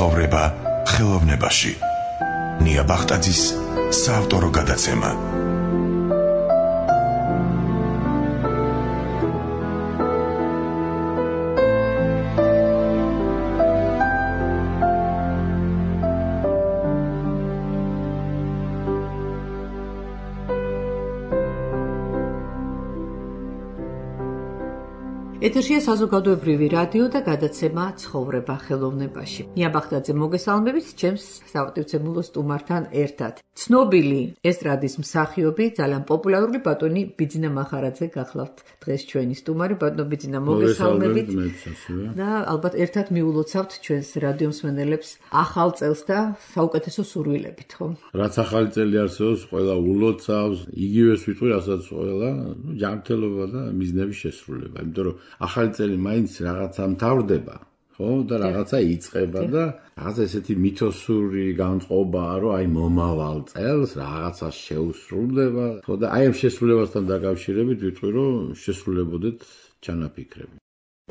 ცხოვრება ხელოვნებაში. ნია ბახტაძის საავტორო გადაცემა. ეთერშია საზოგადოებრივი რადიო და გადაცემა ცხოვრება ხელოვნებაში. ნია ბახტაძე მოგესალმებით ჩემს სავტივცემულო სტუმართან ერთად. ცნობილი ესტრადის მსახიობი, ძალიან პოპულარული ბატონი ბიძინა მახარაძე გახლავთ დღეს ჩვენი სტუმარი. ბატონო ბიძინა, მოგესალმებით. და ალბათ ერთად მიულოცავთ ჩვენს რადიო მსმენელებს ახალ წელს და საუკეთესო სურვილებით, ხო? რაც ახალი წელი არსებობს, ყველა ულოცავს, იგივეს ვიტყვი, რასაც ყველა, ჯანმრთელობა და მიზნების შესრულება, იმიტომ რომ ახალი წელი მაინც რაღაცა მთავრდება, ხო? და რაღაცა იწყება და რაღაცა ესეთი მითოსური განწყობაა, რომ აი მომავალ წელს რაღაცა შეუსრულდება, ხო? და აი ამ შესრულებასთან დაკავშირებით ვიტყვი, რომ შესრულებოდეთ ჩანაფიქრები.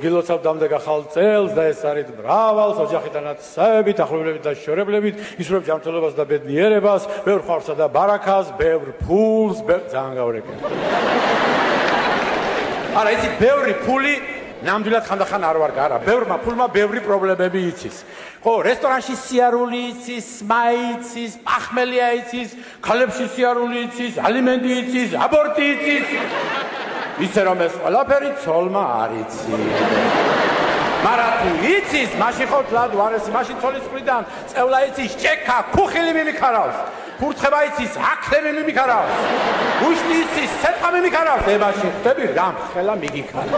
გილოცავთ დამდეგ ახალ წელს და ეს არის მრავალ ოჯახიდან აცსებით, ახლობლებით და შორებლებით, ისურვებ ჯანმრთელობას და ბედნიერებას, ბევრ ხარსა და ბარაქას, ბევრ ფულს, ძალიან გავრეკე. არა, იცი, ბევრი ფული ნამდვილად ხანდახან არ ვარ გარა. ბევრმა ფულმა ბევრი პრობლემები იცის. ხო, რესტორანში სიარული იცის, სმაი იცის, პახმელია იცის, ქალებში სიარული იცის, ალიმენტი იცის, აბორტი იცის. ისე რომ ეს ყველაფერი ცოლმა არ იცის. მაგრამ თუ იცის, მაშინ ხო თლად ვარესი, მაშინ ცოლის მხრიდან წევლა იცის, ჭექა, ქუხილი მიმიქარავს. ფურთხება იცის, ახლები მიმიქარავს. უშტი იცის, სეტყა მიმიქარავს. მაშინ ხდები რამ ხელა მიგიქარა.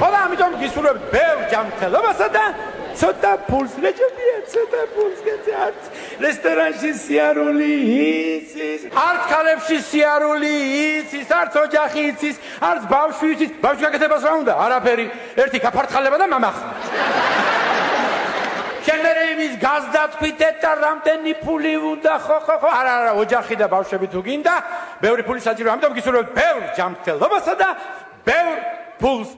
ხოლო ამიტომ გისურვებთ ბევრ ჯანმრთელობასა და ცოტა ფულს, რეჯებია, ცოტა ფულს გეცე არც რესტორანში სიარული იცის, არც ქალებში სიარული იცის, არც ოჯახი იცის, არც ბავშვი იცის. ბავშვი გაკეთებას რა უნდა? არაფერი, ერთი გაფართხალება და მამახსნა. შენერე იმის გაზდა თქვით და რამდენი ფული უნდა, ხო, არა, ოჯახი და ბავშვები თუ გინდა, ბევრი ფული საჭიროა. ამიტომ გისურვებთ ბევრ ჯანმრთელობასა და ბევრ ფულს.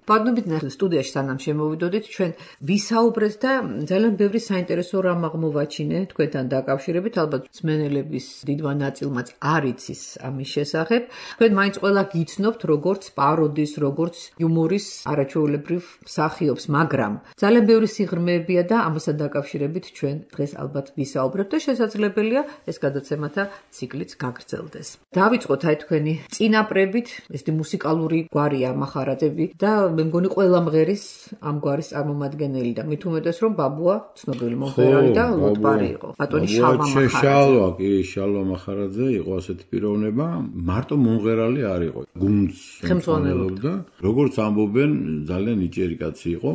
ბატონო სტუდიაში სანამ შემოვიდოდით, ჩვენ ვისაუბრეთ და ძალიან ბევრი საინტერესო რამ აღმოვაჩინე თქვენთან დაკავშირებით, ალბათ მსმენელების დიდმა ნაწილმაც არ იცის ამის შესახებ. თქვენ მაინც ყველა გიცნობთ როგორც პაროდის, როგორც იუმორის არაჩვეულებრივ მსახიობს, მაგრამ ძალიან ბევრი სიღრმეებია და ამასთან დაკავშირებით ჩვენ დღეს ალბათ ვისაუბრებთ და შესაძლებელია ეს გადაცემათა ციკლიც გაგრძელდეს. დავიწყოთ აი თქვენი წინაპრებით, ესეთი მუსიკალური გვარია მახარაძეები და მე მგონი ყველა მღერის ამ გვარის წარმომადგენელი და მით უმეტეს რომ ბაბუა ცნობილი მომღერალი და ლოტბარი იყო. ბატონი შალვა მახარაძე. შალვა მახარაძე იყო ასეთი პიროვნება, მარტო მომღერალი არ იყო. გუნდს ხელმძღვანელობდა. როგორც ამბობენ, ძალიან ნიჭიერი კაცი იყო.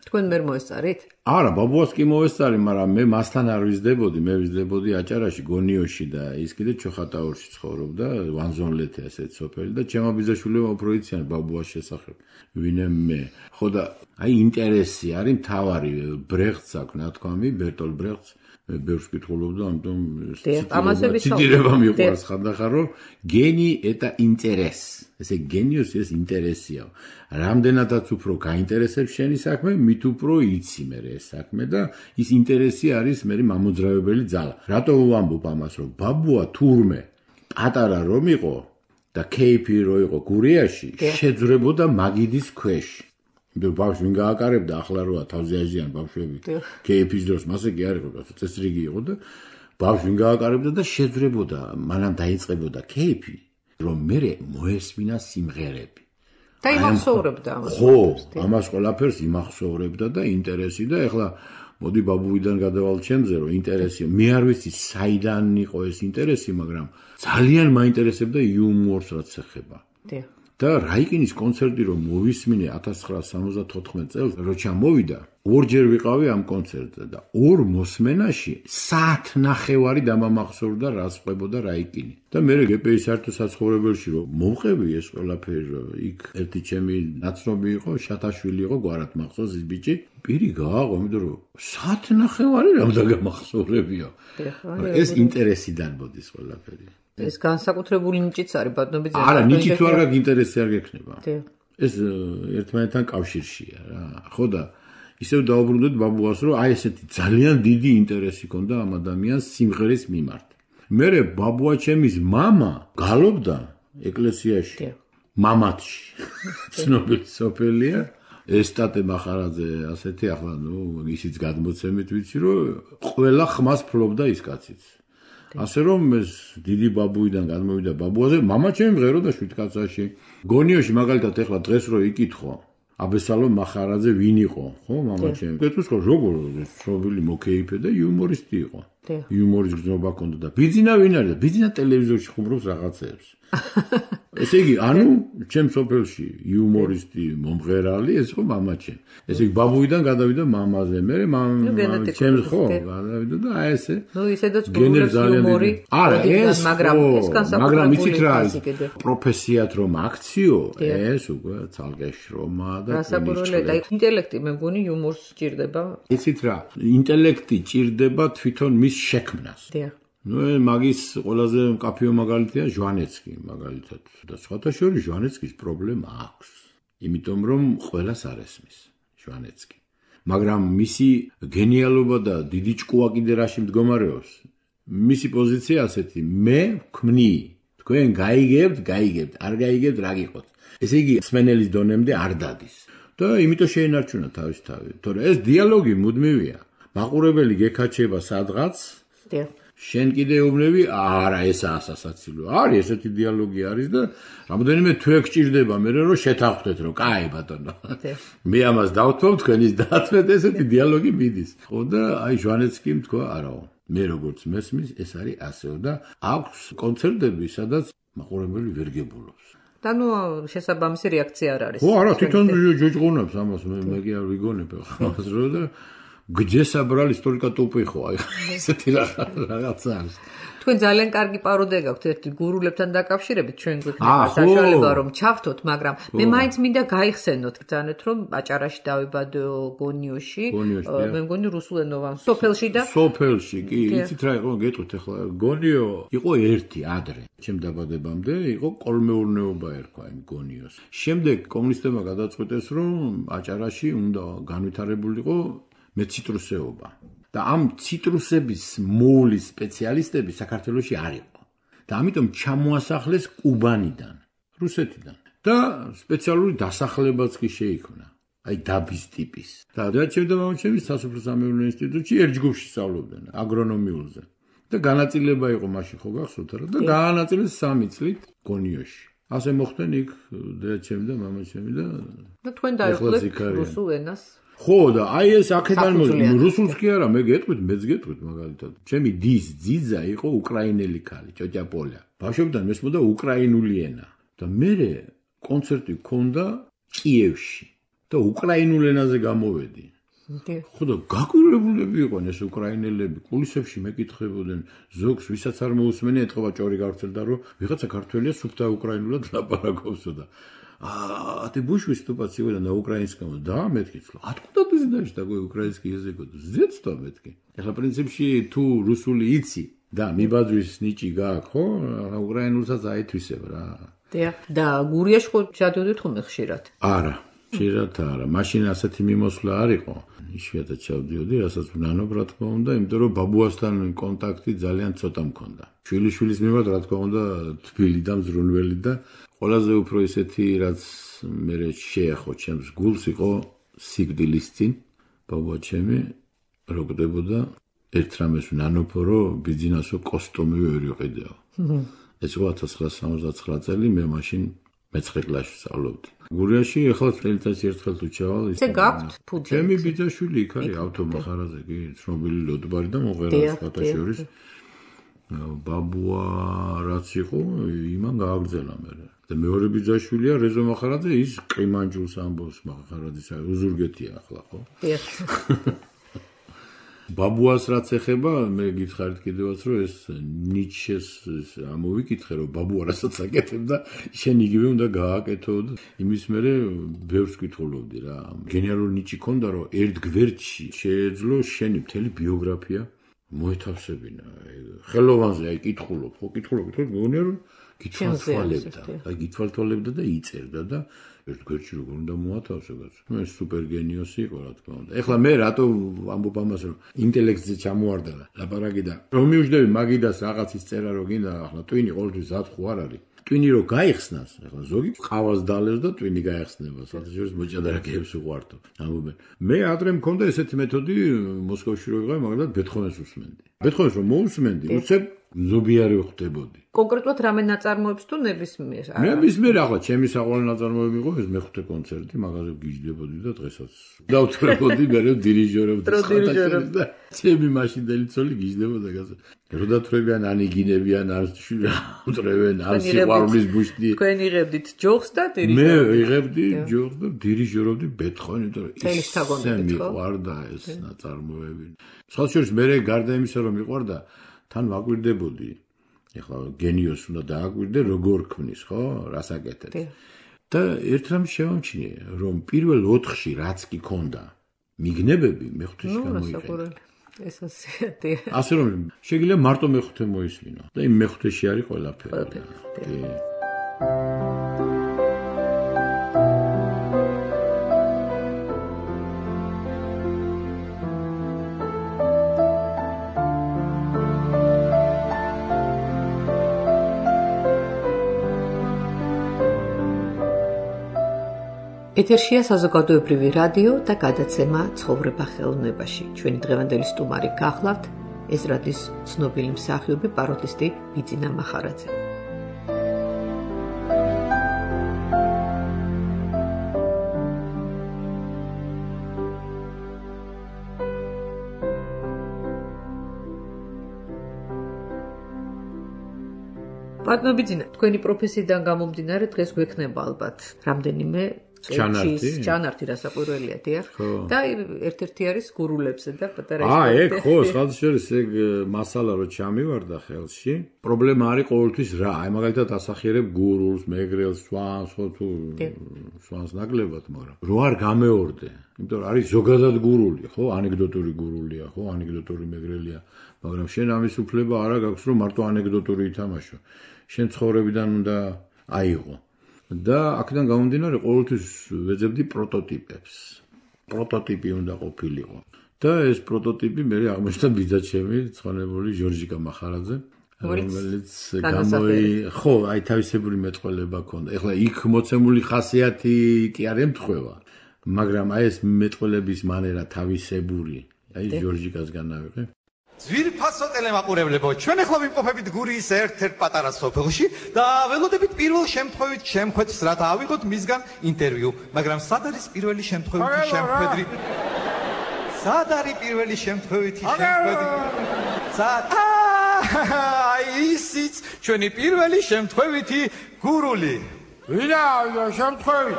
თქვენ ვერ მოესწარით? არა, ბაბუას კი მოესწარი, მაგრამ მე მასთან არ ვიზდებოდი, მე ვიზდებოდი აჭარაში, გონიოში და ის კიდე ჩოხატაურში ცხოვრობდა, ვანზონლეთე ასეთ სოფელი და ჩემო ბიძაშვილებმა უფრო იციან ბაბუას შესახებ. ვინე მე. ხო და აი ინტერესი არის მთავარი, ბრეხტს აქვს ნათქვამი, ბერტოლ ბრეხტს, მე ბევრს კითხულობდა, ამიტომ ციტირება მიყვარს ხანდახან, რომ გენი eta ინტერეს. ესე გენიოს ეს ინტერესია. რამდენადაც უფრო გაინტერესებს შენი საქმე, მით უფრო იცი მე ეს საქმე და ის ინტერესი არის მე მამოძრავებელი ძალა. რატო ვამბობ ამას, რომ ბაბუა თურმე პატარა რომ იყო და кейფი რო იყო გურიაში, შეძრებოდა მაგიდის ქვეშ. იმიტომ ბავშვი ვინ გააკარებდა, ახლა როა თავზე აჟიან ბავშვები. кейფის დროს მასე კი არ იყო, წესრიგი იყო და ბავშვი ვინ გააკარებდა და შეძრებოდა, მანამ დაიწყებოდა кейფი, რომ მე მოესმინა სიმღერები. და იმახსოვრებდა ამას. ხო, ამას ყველაფერს იმახსოვრებდა და ინტერესი და ეხლა მოდი ბაბუიდან გადავალ ჩემზე, რომ ინტერესი, მე არ ვიცი საიდან იყო ეს ინტერესი, მაგრამ ძალიან მაინტერესებდა იუმორს რაც ეხება. და რაიკინის კონცერტი რომ მოვისმინე 1974 წელს, როცა მოვიდა, ორჯერ ვიყავი ამ კონცერტზე და ორ მოსმენაში საათნახევარი დამამახსოვრდა რას ყვებოდა რაიკინი. და მე გპ-ის საერთო საცხოვრებელში რომ მოვყევი ეს ყველაფერი, იქ ერთი ჩემი ნაცნობი იყო, შათაშვილი იყო, გვარად მახსოვს ის ბიჭი, პირი გააყო, იმიტომ რომ საათნახევარი რამ დაგამახსოვრებია. ეს ინტერესიდან მოდის ყველაფერი. ეს განსაკუთრებული ნიჭიც არის ბატონო ბიძინა. არა, ნიჭი თუ არ გაქვს ინტერესი არ გექნება. ეს ერთმანეთთან კავშირშია რა. ხო და ისევ დაუბრუნდეთ ბაბუას, რომ აი ესეთი ძალიან დიდი ინტერესი ჰქონდა ამ ადამიანს სიმღერის მიმართ. მერე ბაბუა ჩემის მამა გალობდა ეკლესიაში. მამათში. ცნობილი სოფელია. ესტატე მახარაძე ასეთი ახლა ისიც გადმოცემით ვიცი, რომ ყველა ხმას ფლობდა ის კაციც. ასე რომ ეს დიდი ბაბუიდან გადმოვიდა ბაბუაზე, მამა ჩემი მღეროდა 7 კაცაში. გონიოში მაგალითად ეხლა დღეს რო იკითხო, აბესალომ მახარაძე ვინ იყო, ხო, მამა ჩემი. გეტყვის ხო, როგორ ცნობილი მოკეიფე და იუმორისტი იყო. იუმორის გზნობა ჰქონდა და ბიძინა ვინ არის? ბიძინა ტელევიზორში ხუმრობს რაღაცებს. ესე იგი, ანუ ჩემ სოფელში იუმორისტი მომღერალი ეს ხო მამა ჩემი. ესე იგი, ბაბუიდან გადავიდა მამაზე, მე ჩემს ხო გადავიდა და აი ესე. ისედაც გულებს იუმორი. არა, ეს მაგრამ იცით რა არის? პროფესიად რომ აქციო, ეს უკვე ცალკე შრომა და გასაკვირველია, ინტელექტი მე მგონი იუმორს სჭირდება. იცით რა, ინტელექტი ჭირდება თვითონ მის შექმნას. მაგის ყველაზე მკაფიო მაგალითია ჟვანეცკი მაგალითად და სხვათა შორის ჟვანეცკის პრობლემა აქვს იმიტომ რომ ყველას არ ესმის ჟვანეცკი მაგრამ მისი გენიალობა და დიდი ჭკუა კიდე რაში მდგომარეობს მისი პოზიცია ასეთი მე ვქმნი თქვენ გაიგებთ არ გაიგებთ რა გიყოთ ესე იგი სმენელის დონემდე არ დადის და იმიტომ შეენარჩუნა თავის თავი თორე ეს დიალოგი მუდმივია მაყურებელი გეკაჩება სადღაც შენ კიდე უბრუნები არა ესაა სასაცილო არის ესეთი დიალოგი არის და რამოდენიმე თვე გჭირდება მე რომ შეთანხმდეთ რომ კაი ბატონო მე ამას დავთვალ თქვენ ის დაათმეთ ესეთი დიალოგი მიდის ხო და აი ჟვანეცკიმ თქვა არაო მე როგორც მესმის ეს არის ასეო და აქვს კონცერტები სადაც მაყურებელი ვერ გებულობს და ნუ შესაბამისი რეაქცია არ არის ხო არა თვითონ ჯოჯღონებს ამას მე კი არ ვიგონებ ხალხს რომ და გძესაბრალ ისტორიკა ტოპი ხო აი ესეთი რაღაცა არის თქვენ ძალიან კარგი პაროდია გაქვთ ერთი გურულებთან დაკავშირებით ჩვენ გვექნება საშუალება რომ ჩავთოთ მაგრამ მე მაინც მინდა გაიხსენოთ ბრძანეთ რომ აჭარაში დავიბადო გონიოში მე მგონი რუსულენოვან სოფელში და სოფელში კი იცით რა იყო გეტყვით ახლა გონიო იყო ერთი ადრე ჩემ დაბადებამდე იყო კოლმეურნეობა ერქვა იმ გონიოს შემდეგ კომუნისტებმა გადაწყვეტეს რომ აჭარაში უნდა განვითარებულიყო მე ციტრუსეობა და ამ ციტრუსების მოვლის სპეციალისტები საქართველოში არ იყო და ამიტომ ჩამოასახლეს კუბანიდან რუსეთიდან და სპეციალური დასახლებაც კი შეიქმნა აი დაბის ტიპის და ჩემ და მამაჩემი სასოფლო-სამეურნეო ინსტიტუტში ერთ ჯგუფში სწავლობდნენ აგრონომიულზე და განაწილება იყო მაშინ ხო გახსოვთ რა და განაწილეს 3 წლით გონიოში ასე მოხდნენ იქ და ჩემ და მამაჩემი და თქვენ დაიხლებთ რუსულ ენას ხო და აი ეს აქედან რუსულს კი არა მე გეტყვით მეც გეტყვით მაგალითად ჩემი დის ძიძა იყო უკრაინელი ქალი ჭოჭაპოლა ბავშვობიდან მესმოდა უკრაინული ენა და მე კონცერტი გქონდა კიევში და უკრაინულ ენაზე გამოვედი ხო და გაკვირვებულები იყვნენ ეს უკრაინელები კულისებში მეკითხებოდნენ ზოგს ვისაც არ მოусმენია ეთქობა ჭორი გავრცელდა რომ вიღაცა ქართველია სუფთა უკრაინულად ლაპარაკობსო და А ты будешь выступать сегодня на украинском? Да, метки. Откуда ты знаешь такой украинский язык? С детства метки. Ეხლა პრინციპში თუ რუსული იცი და მიბაძვის ნიჭი გაქვს, ხო? უკრაინულსაც აითვისებ რა. და გურიაში ხო ჩადიოდით ხოლმე ხშირად? არა, ხშირად არა. მაშინ ასეთი მიმოსვლა არ იყო. იშვიათად ჩავდიოდი, რასაც ვნანობ რა თქმა უნდა, იმიტომ რომ ბაბუასთან კონტაქტი ძალიან ცოტა მქონდა. შვილიშვილის მიმართ რა თქმა უნდა თბილი და მზრუნველი და ყველაზე უფრო ისეთი რაც მე შეეხო ჩემს გულს იყო სიკვდილის წინ ბაბუა ჩემი როგდებოდა ერთ რამეს ვნანობო რომ ბიძინასო კოსტუმი ვერ იყიდეო ეს იყო 1969 წელი მე მაშინ მე-9 კლასში სწავლობდი გურიაში ახლა წელიწადში ერთხელ თუ ჩავალ ისე გაქვთ ფუძე ჩემი ბიძაშვილი იქ არის ავტომახარაზე კი ცნობილი ლოდბარი და მომღერალი სხვათა შორის ბაბუა რაც იყო იმან გააგრძელა მე და მეორე ბიძაშვილია რეზო მახარაძე ის ყიმანჯულს ამბობს მახარაძის უზურგეთია ახლა ხო ბაბუას რაც ეხება მე გითხარით კიდევაც რომ ეს ნიჩეს ამოვიკითხე რომ ბაბუა რასაც აკეთებდა შენ იგივე უნდა გააკეთო და იმის მერე ბევრს კითხულობდი რა გენერალური ნიჭი ქონდა რომ ერთ გვერდში შეეძლო შენი მთელი ბიოგრაფია მოეთავსებინა ხელოვანზე აი კითხულობ ხო კითხულობ მეგონია რომ გითვალთვალებდა. აი გითვალთვალებდა და იწერდა და ერთ გვერდში როგორ უნდა მოათავსო კაცო. მე სუპერ გენიოსი იყო რა თქმა უნდა. ეხლა მე რატო ამბობ ამას რომ ინტელექტზე ჩამოვარდა ლაპარაკი და რომ მივждები მაგიდას რაღაცის წერა რო გინდა ახლა ტვინი ყოველთვის ზათხუ არ არის. ტვინი რო გაიხსნას, ახლა ზოგი ყავას დალევს და ტვინი გაიხსნება. სადღაც მოჭადრაკეებს უყვართო. ამბობენ. მე ადრე მქონდა ესეთი მეთოდი მოსკოვში რო ვიყავი, მაგრამ ბეთჰოვენს უსმენდი. ბეთჰოვენს რომ მოусმენდი, უცებ ზობიარი ხდებოდი. კონკრეტულად რამე ნაწარმოებს თუ ნებისმიერ? ნებისმიერ ახლა ჩემი საყვარელი ნაწარმოები იყო ეს მეხუთე კონცერტი, მაგაზე გიждდებოდი და დღესაც დავთხრებოდი მე დირიჟორობდი და ჩემი მაშინდელი ცოლი გიждდებოდა გასა. როდათვრებიან ანიგინებიან არ უწრევენ არ სიყვარულის ბუშტი. თქვენ იღებდით ჯოხს და დირიჟორობდით. მე იღებდი ჯოხს და დირიჟორობდი ბეთჰოვენი და ისე მიყვარდა ეს ნაწარმოები. სხვა შორის მე გარდა იმისა რომ მიყვარდა თან ვაკვირდებოდი. ეხლა გენიოს უნდა დააკვირდე როგორ ქმნის, ხო? რას აკეთებს. და ერთ რამ შევამჩნიე, რომ პირველ 4-ში რაც კი ქონდა მიგნებები მეხუთეში გამოიყენა. ეს ასეთი. ასე რომ შეიძლება მარტო მეხუთე მოისმინო და იმ მეხუთეში არის ყველაფერი. ეთერშია საზოგადოებრივი რადიო და გადაცემა ცხოვრება ხელოვნებაში. ჩვენი დღევანდელი სტუმარი გახლავთ ეზრადის ცნობილი მსახიობი პაროდისტი ბიძინა მახარაძე. ბატონო ბიძინა, თქვენი პროფესიიდან გამომდინარე დღეს გვექნება ალბათ რამდენიმე ჩანართი რასაკვირველია დიახ და ერთ-ერთი არის გურულებზე და პატარა ეგ ხო სხვადასხვა ეგ მასალა რო ჩამივარდა ხელში პრობლემა არის ყოველთვის რა აი მაგალითად ასახიერებ გურულს მეგრელს სვანს ხო თუ სვანს ნაკლებად მაგრამ რო არ გამეორდე იმიტომ რომ არის ზოგადად გურული ხო ანეკდოტური გურულია ხო ანეკდოტური მეგრელია მაგრამ შენ ამის უფლება არა გაქვს რომ მარტო ანეკდოტური ითამაშო შენ ცხოვრებიდან უნდა აიღო და აქედან გამომდინარე ყოველთვის ვეძებდი პროტოტიპებს. პროტოტიპი უნდა ყოფილიყო. და ეს პროტოტიპი მე აღმოჩნდა ბიძაჩემი, ცხონებული ჟორჟიკა მახარაძე, რომელიც ხო, აი თავისებური მეტყველება ჰქონდა. ეხლა იქ მოცემული ხასიათი კი არ ემთხვევა, მაგრამ აი ეს მეტყველების მანერა თავისებური, აი ჟორჟიკასგან ავიღე. ძვირფასო ტელემაყურებლებო, ჩვენ ახლა ვიმყოფებით გურიის ერთ-ერთ პატარა სოფელში და ველოდებით პირველ შემთხვევით შემხვედს რათა ავიღოთ მისგან ინტერვიუ, მაგრამ სად არის პირველი შემთხვევითი შემთხვედრი? სად არის პირველი შემთხვევითი შემთხვედრი? სად? აი ისიც ჩვენი პირველი შემთხვევითი გურული. ვინაა შემთხვევით?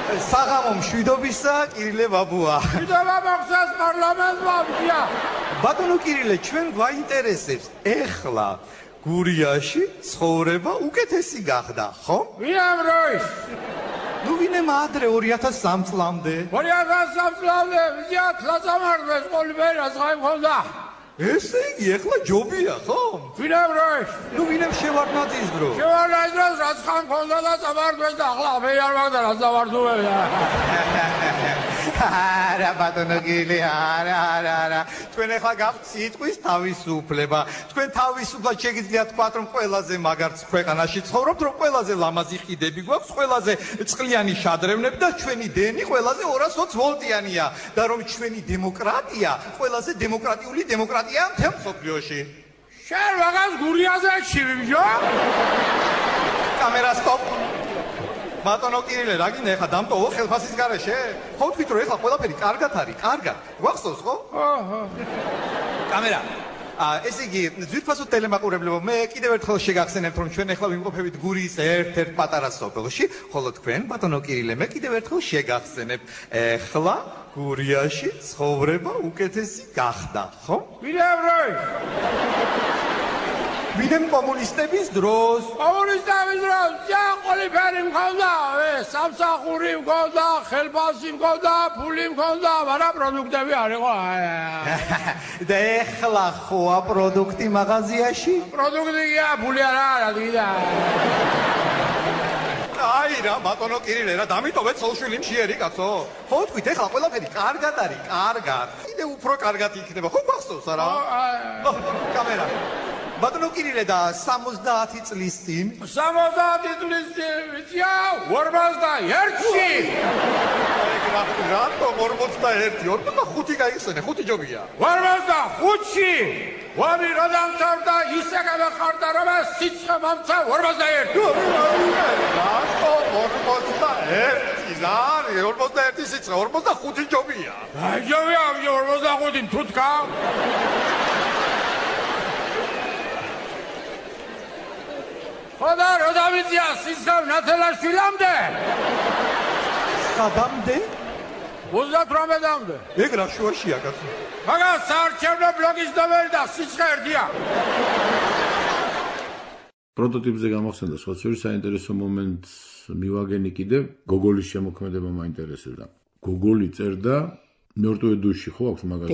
საღამო მშვიდობისა, კირილე ბაბუა. მშვიდობა მოხსნას პარლამენტმა, ბიჭია. ბატონო კირილე, ჩვენ გვაინტერესებს ეხლა გურიაში ცხოვრება უკეთესი გახდა, ხო? ვინამ როის? ნუ ვინემ ადრე 2003 წლამდე. 2003 წლამდე, ბიჭია, თლაცამარდეს ყოლიბერას ხაი მქონდა. ესე იგი, ეხლა ჯობია, ხო? ვინამ როის? ნუ ვინემ შევარდნაძის დრო. შევარდნაძის დროს რაც ხან მქონდა და წამარდეს და ახლა მე არ მაგდა რაც დავარდუებია. არა ბატონო კირილე, არა. თქვენ ახლა გაქვთ სიტყვის თავისუფლება. თქვენ თავისუფლად შეგიძლიათ თქვათ, რომ ყველაზე მაგარც ქვეყანაში ცხოვრობთ, რომ ყველაზე ლამაზი ხიდები გვაქვს, ყველაზე წყლიანი შადრევნები და ჩვენი დენი ყველაზე 220 ვოლტიანია და რომ ჩვენი დემოკრატია ყველაზე დემოკრატიული დემოკრატია მთელ მსოფლიოში. შენ რაღაც გურიაზე ჩივიჯო? კამერა სტოპ. ბატონო კირილე, რა გინდა ეხლა დამტოვო ხელფასის გარეშე? ხო თქვით რომ ეხლა ყველაფერი კარგად არის, კარგად. გვახსოვს ხო? ხო. კამერა. ესე იგი, ძვირფასო ტელემაყურებლებო, მე კიდევ ერთხელ შეგახსენებთ, რომ ჩვენ ეხლა ვიმყოფებით გურიის ერთ-ერთ პატარა სოფელში, ხოლო თქვენ, ბატონო კირილე, მე კიდევ ერთხელ შეგახსენებთ, ეხლა გურიაში ცხოვრება უკეთესი გახდა, ხო? ვინამ როის? ვინმე კომუნისტების დროს. კომუნისტების დროს ყველაფერი მქონდა, სამსახური მქონდა, ხელფასი მქონდა, ფული მქონდა, მაგრამ პროდუქტები არ იყო. და ეხლა ხოა პროდუქტი მაღაზიაში? პროდუქტია, ფული არა დიდა. აი რა, ბატონო კირილე რა, დამიტოვეთ სოუშვილი მშიერი კაცო. ხო თქვით, ეხლა ყველაფერი კარგად არის, კარგად. კიდე უფრო კარგად იქნება, ხო გასწორს არა? კამერა. ბატონო კირილე და 70 წლის წინ? 70 წლის წინ, ვიცია, 41-ში. რატომ 41? 45 გაიხსენე, 5 ჯობია. 45-ში. ვამი რა დამთავრდა, ისე გამახარდა, რომ სიცხე მომცა 41. რატო 41? ზარი, 41 სიცხე, 45 ჯობია. აი ჯობია, 45 თუთკა. ხოდა რა დავიწია სიცხე ნათელაშვილამდე? სადამდე? 38-მდე. ეგ რა შუაშია კაცო? მაგას საარჩევნო ბლოგის ნომერი და სიცხე ერთია. პროტოტიპზე გამახსენდა სხვა შორის საინტერესო მომენტს მივაგენი კიდე გოგოლის შემოქმედება მაინტერესებდა. გოგოლი წერდა მერტვე დუში ხო აქვს მაგას?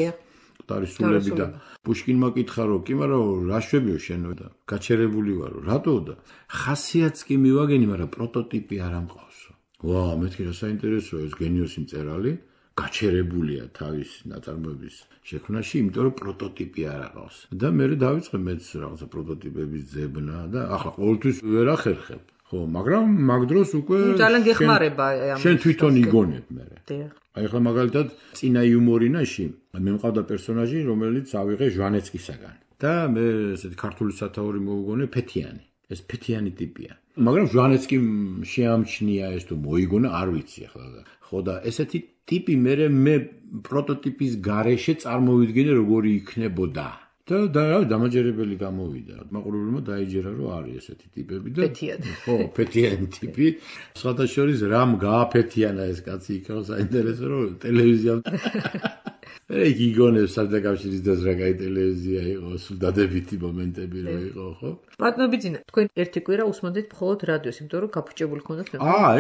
ტარისულები და პუშკინმა კითხა რომ კი მაგრამ რა შვებიო შენო და გაჩერებული ვარო რატო და ხასიათს კი მივაგენი მაგრამ პროტოტიპი არ ამყავსო. ვა მეთქი რა საინტერესოა ეს გენიოსი მწერალი გაჩერებულია თავის ნაწარმოების შექმნაში იმიტომ რომ პროტოტიპი არ აყავს და მე დავიწყე მეც რაღაცა პროტოტიპების ძებნა და ახლა ყოველთვის ვერ ახერხებ ხო მაგრამ მაგ დროს უკვე ძალიან გეხმარება შენ თვითონ იგონებ მე დიახ აი ახლა მაგალითად წინა იუმორინაში მე მყავდა პერსონაჟი რომელიც ავიღე ჟვანეცკისაგან და მე ესეთი ქართული სათაური მოუგონე ფეთიანი ეს ფეთიანი ტიპია მაგრამ ჟვანეცკიმ შეამჩნია ეს თუ მოიგონა არ ვიცი ახლა ხო და ესეთი ტიპი მე პროტოტიპის გარეშე წარმოვიდგინე როგორი იქნებოდა და დამაჯერებელი გამოვიდა მაყურებელმა დაიჯერა რომ არის ესეთი ტიპები და ხო ფეთიანი ტიპი სხვათა შორის რამ გააფეთიანა ეს კაცი იქ რა საინტერესო რომ ტელევიზია ეგ იგონებს საბჭოთა დროს რა კაი ტელევიზია იყო სულ დადებითი მომენტები რო იყო ხო პატნობიძინა თქვენ ერთი კვირა უსმოდით მხოლოდ რადიოს იმიტომ რომ გაფუჭებული ხონდათ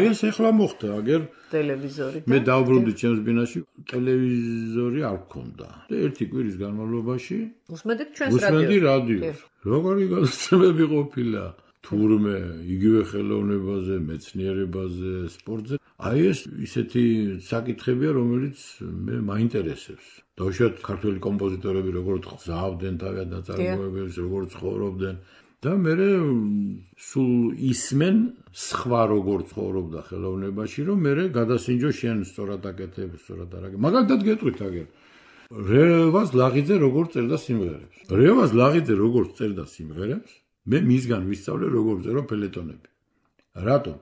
ეს ახლა მოხდა აგერ ტელევიზორი მე დავბრუნდი ჩემს ბინაში ტელევიზორი არ მქონდა და ერთი კვირის განმავლობაში უსმოდით ჩვენს რადიოს როგორი გადაცემები ყოფილა თურმე იგივე ხელოვნებაზე მეცნიერებაზე სპორტზე აი ეს ისეთი საკითხებია რომელიც მე მაინტერესებს დავუშვათ ქართველი კომპოზიტორები როგორც ხსავდნენ თავიანთ ნაწარმოებებს როგორც ცხოვრობდნენ და მე სულ ისმენ სხვა როგორც ცხოვრობდა ხელოვნებაში რომ მე გადასინჯო შენ სწორად აკეთებ სწორად არ აკეთებ მაგალითად გეტყვით აგერ რევაზ ლაღიძე როგორც წერდა სიმღერებს რევაზ ლაღიძე როგორც წერდა სიმღერებს მე მისგან ვისწავლე როგორ წერო ფელეტონები რატომ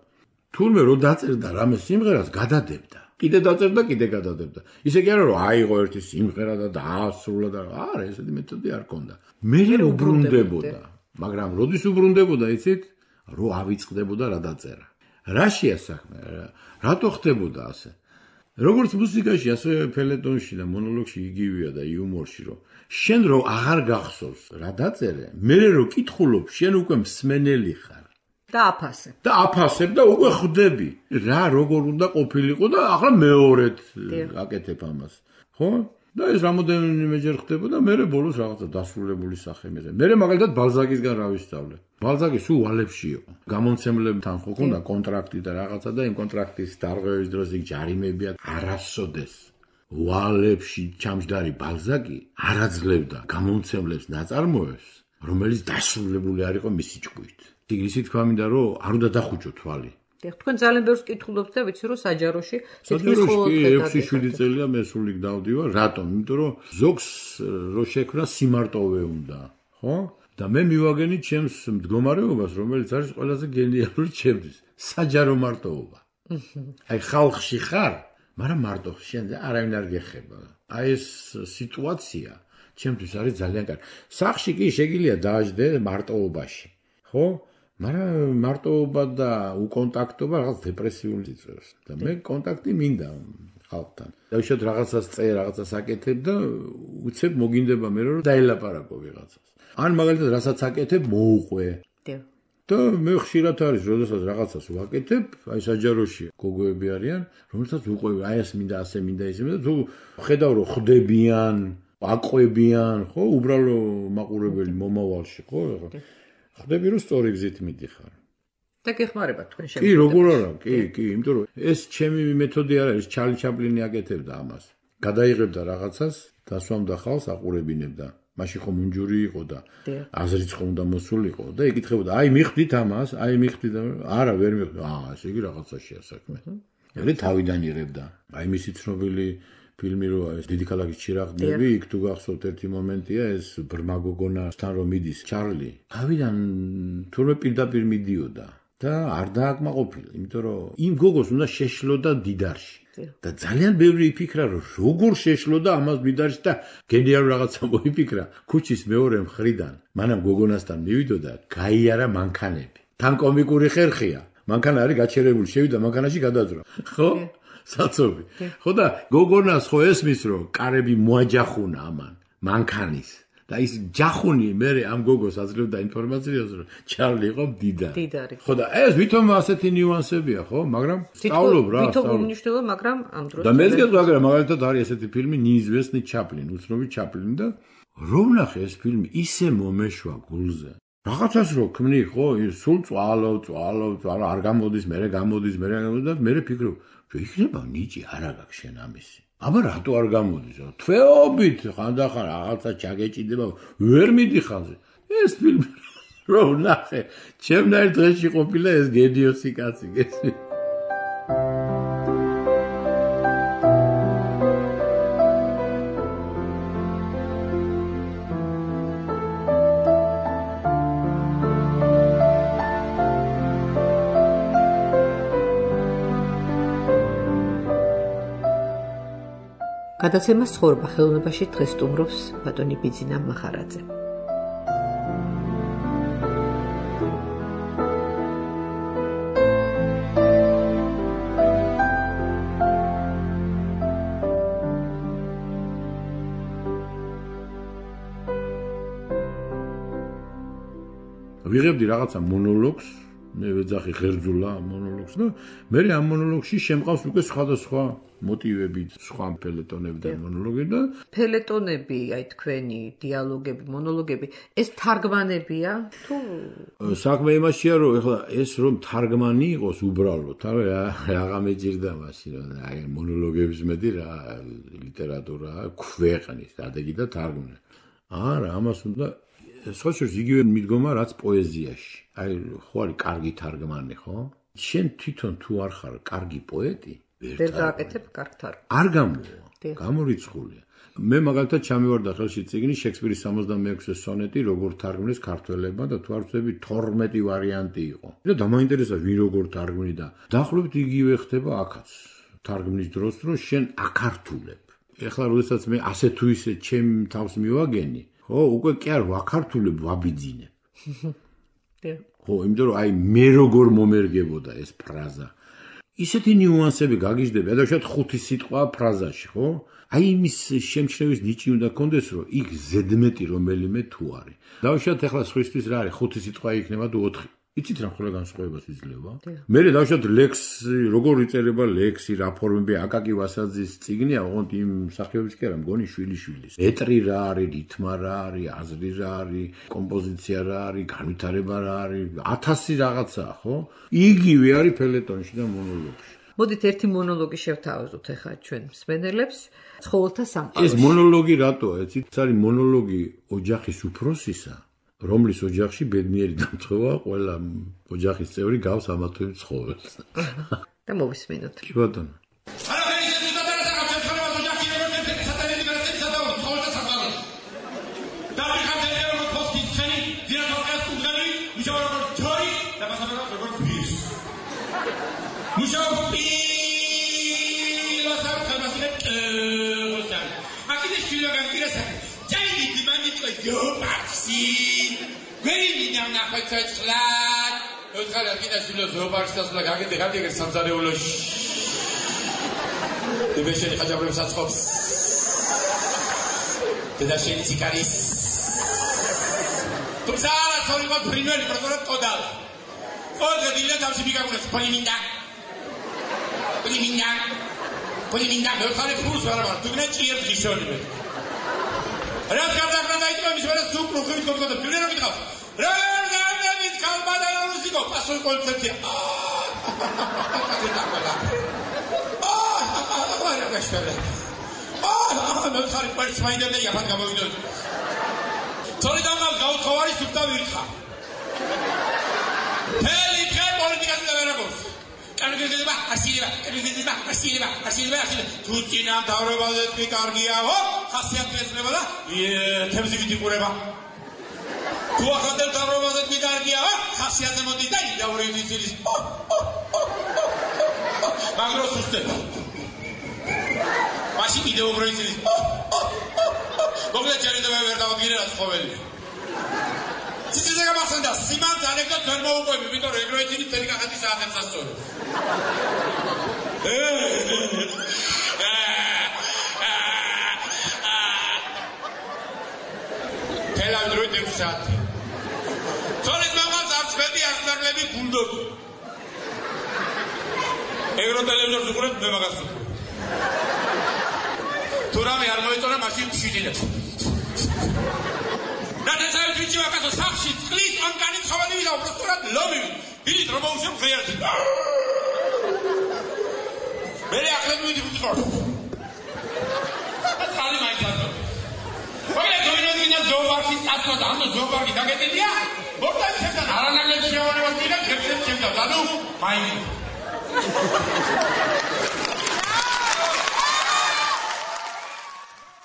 თურმე რო დაწერდა რამე სიმღერას გადადებდა კიდე დაწერდა კიდე გადადებდა ისე კი არა რომ აიღო ერთი სიმღერა და დაასრულა და არა ესეთი მეთოდი არ ქონდა მე უბრუნდებოდა მაგრამ როდის უბრუნდებოდა იცით რო ავიწყდებოდა რა დაწერა რაშია საქმე რატო ხდებოდა ასე როგორც მუსიკაში ასე ფელეტონში და მონოლოგში იგივეა და იუმორში რომ შენ რო აღარ გახსოვს რა დაწერე მე რო კითხულობ შენ უკვე მსმენელი ხარ და აფასებ და უკვე ხვდები რა როგორ უნდა ყოფილიყო და ახლა მეორედ აკეთებ ამას ხო და ეს რამოდენიმეჯერ ხდებოდა მე ბოლოს რაღაცა დასრულებული სახე მე მაგალითად ბალზაკისგან რა ვისწავლე ბალზაკი სულ ვალებში იყო გამომცემლებთან ხო ქონდა კონტრაქტი და რაღაცა და იმ კონტრაქტის დარღვევის დროს იქ ჯარიმებია არასოდეს ვალებში ჩამჯდარი ბალზაკი არაძლებდა გამომცემლებს ნაწარმოებს რომელიც დასრულებული არ იყო მისი ჭკუით ისიც თქვა მინდა რომ არ უნდა დახუჭო თვალი თქვენ ძალიან ბევრს კითხულობთ და ვიცი რომ საჯაროში 6-7 წელია მე სულ იქ დავდივარ რატომ იმიტომ რომ ზოგს რო შექმნა სიმარტოვე უნდა ხო და მე მივაგენი ჩემს მდგომარეობას რომელიც არის ყველაზე გენიალური ჩემთვის საჯარო მარტოობა აი ხალხში ხარ მაგრამ მარტო შენ არავინ არ გეხება აი ეს სიტუაცია ჩემთვის არის ძალიან კარგი სახში კი შეგიძლია დააждდე მარტოობაში ხო მაგრამ მარტოობა და უკონტაქტობა რაღაც დეპრესიული წევს და მე კონტაქტი მინდა ხალხთან. დაუშვათ რაღაცას წე, რაღაცას აკეთებ და უცებ მოგინდება მე რომ დაელაპარაკო ვიღაცას. ან მაგალითად რასაც აკეთებ მოუყვე. და მე ხშირად არის, როდესაც რაღაცას ვაკეთებ, აი საჯაროში გოგოები არიან, რომელსაც უყვები, აი ეს მინდა, ასე მინდა, ისე მინდა, თუ ხედავ რომ ხდებიან, აყვებიან, ხო, უბრალო მაყურებელი მომავალში, ხო, ხდები რომ სწორი გზით მიდიხარ. და გეხმარება თქვენ შემოგვიყვება. კი, როგორ არა, კი, იმიტომ რომ ეს ჩემი მეთოდი არ არის, ჩარლი ჩაპლინი აკეთებდა ამას. გადაიღებდა რაღაცას, დასვამდა ხალხს, აყურებინებდა. მაშინ ხომ უნჯური იყო და აზრიც ხომ უნდა მოსულიყო და ეკითხებოდა, აი მიხდით ამას, აი მიხდით, არა ვერ მიხდი. ესე იგი რაღაცაშია საქმე. მე თავიდან იღებდა. აი მისი ცნობილი ფილმი რო ეს დიდი ქალაქის ჩირაღდნები, იქ თუ გახსოვთ ერთი მომენტია ეს ბრმა გოგონასთან რომ მიდის ჩარლი. თავიდან თურმე პირდაპირ მიდიოდა და არ დააკმაყოფილა, იმიტომ რომ იმ გოგოს უნდა შეშლოდა დიდარში. და ძალიან ბევრი იფიქრა რომ როგორ შეშლოდა ამას დიდარში და გენიალურ რაღაცა მოიფიქრა ქუჩის მეორე მხრიდან. მანამ გოგონასთან მივიდოდა, გაიარა მანქანები. თან კომიკური ხერხია. მანქანა არის გაჩერებული, შევიდა მანქანაში გადაძრა. ხო? საცობი. ხო და გოგონას ხო ესმის რომ კარები მოაჯახუნა ამან მანქანის. და ის ჯახუნი მე ამ გოგოს აძლევდა ინფორმაციას რომ ჩარლი იყო მდიდარი. ხო და ეს ვითომ ასეთი ნიუანსებია, ხო? მაგრამ სწავლობ რა. ვითომ უმნიშვნელო, მაგრამ ამ დროს და მეც გეტყვი, მაგალითად არის ესეთი ფილმი ნიიზვესნი ჩაპლინი, უცნობი ჩაპლინი და რომ ნახე ეს ფილმი ისე მომეშვა გულზე. რაღაცას რო ქმნი, ხო? სულ წვალობ, არ გამოდის, მერე გამოდის და მე ფიქრობ, რომ იქნება ნიჭი არა გაქვს შენ ამისი. აბა რატო არ გამოდის? თვეობით ხანდახან რაღაცა ჩაგეჭიდება, ვერ მიდიხარ. ეს ფილმი რო ნახე, ჩემნაირ დღეში ყოფილა ეს გედიოსი კაცი, გესმის? გადაცემას ცხოვრება ხელოვნებაში დღეს სტუმრობს ბატონი ბიძინა მახარაძე. ვიღებდი რაღაცა მონოლოგს, მე ვეძახი ღერძულა მონოლოგს და მე ამ მონოლოგში შემყავს უკვე სხვადასხვა მოტივები, სხვა ფელეტონები და მონოლოგები და ფელეტონები, აი თქვენი დიალოგები, მონოლოგები, ეს თარგმანებია თუ საქმე იმაშია, რომ ეხლა ეს რომ თარგმანი იყოს უბრალოდ, რაღა მეჭირდა მაშინ, აი მონოლოგების მეტი რა ლიტერატურა ქვეყნის, დადეგი და თარგმანი. არა, ამას უნდა სხვა შორის იგივე მიდგომა, რაც პოეზიაში. აი ხო არის კარგი თარგმანი, ხო? შენ თვითონ თუ არ ხარ კარგი პოეტი, ვერ გააკეთებ კარგ თარგმანს. არ გამოვა, გამორიცხულია. მე მაგალითად ჩამივარდა ხელში წიგნი შექსპირის 66 სონეტი, როგორ თარგმნეს ქართველებმა და თუ არ ვწდები 12 ვარიანტი იყო. და დამაინტერესა ვინ როგორ თარგმნი და დაახლოებით იგივე ხდება აქაც. თარგმნის დროს რომ შენ აკართულებ. ეხლა როდესაც მე ასე თუ ისე ჩემ თავს მივაგენი, ხო, უკვე კი არ ვაქართულებ, ვაბიძინებ. ხო, იმიტომ რომ აი მე როგორ მომერგებოდა ეს ფრაზა. ისეთი ნიუანსები გაგიჟდება, ადაშად 5 სიტყვა ფრაზაში, ხო? აი იმის შემჩნევის ნიჭი უნდა კონდეს, რომ იქ ზედმეტი რომელიმე თუ არის. დავუშვათ ახლა სხვისთვის რა არის, 5 სიტყვა იქნება თუ 4. იცით რა ხოლმე განსხვავებას იძლევა? მე დავუშვათ ლექსი, როგორ იწერება ლექსი, რა ფორმები, აკაკი ვასაძის წიგნია, ოღონდ იმ სახეობის კი არა, მგონი შვილიშვილის. ეტრი რა არის, რითმა რა არის, აზრი რა არის, კომპოზიცია რა არის, განვითარება რა არის, 1000 რაღაცაა, ხო? იგივე არის ფელეტონში და მონოლოგში. მოდით ერთი მონოლოგი შევთავაზოთ ახლა ჩვენ მსმენელებს, ცხოველთა სამყაროში. ეს მონოლოგი რატოა? იცით, ეს არის მონოლოგი ოჯახის უფროსისა, რომლის ოჯახში ბედნიერი დამწყება, ყველა ოჯახის წევრი გავს ამა თუ იმ ცხოველს. და მოვისმენოთ. კი ბატონო. Deutschland. Deutschland geht das Philosopher, das lag in der Hand der Samsareologie. ბებეშენი ხაჯაბრებს აწყობს. დედაშენი ციკარის. თუმცა არასორი ყო ფრინველი პროფესორად ყოდალა. ოღონდ დილა თავში მიგაგუნებს პოლიმინდა. პოლიმინდა მე ხარ ფულს ვარამარ თუ გნა ჭიერს გიშონი მე. რაც გარდაყრა დაიწყო მის ვერას თუ პროფილით გოგდა ფილე რა მითხავს. რა გამდებით კალბადა რუსიკო პასოი კონცერტია. არა გაშველე. მე ხარ პარს მაინდები იაფად გამოვიდოდი. თორე დამალ გაუთხოვარი სუფთა ვირთხა. ფელი ფე პოლიტიკას და ვერაგოს. კანგედება ასილება თუ წინამ დავრებაზე თქვი კარგიაო ხასიათი ეცნება და თემზივით იყურება თუ ახალ დავრებაზე თქვი კარგიაო ხასიათზე მოდის და იდავრებით ცილის მაგროს უსტება მაშინ კიდევ უფრო ცილის მოგდა ჩარედება ვერ დავადგინე რა ცხოველი ციცი გამახსენდა სიმანს ანეკდოტს ვერ მოუყვები იმიტომ რომ ეგრე იცით თელი კახეთის საათებს ასწორებ თელავდროი დექსატი თორეს მამალს არცხვედი ასნარლები გულდობი ეგრო ტელევიზორს უყურებ მე მაგას უყურებ თუ რამე არ მოიწონა მაშინ შიჯინებ რადგან ვიცი ვაკასო სახში წყლის ამკანი ცხოველი ვიდა უბრალოდ ლომივი დილით რომ მოუშვებ ღიერთი მე ახლა მივიდი ვიყო აცალი მაიცადო მოგეთ დომინოდინა ზოოპარკი წასვლა ამ ზოოპარკი დაგეტილია მოგდან ჩემთან არანაკლებ შეავარება მინდა ქერცეთ ჩემთან ანუ მაინი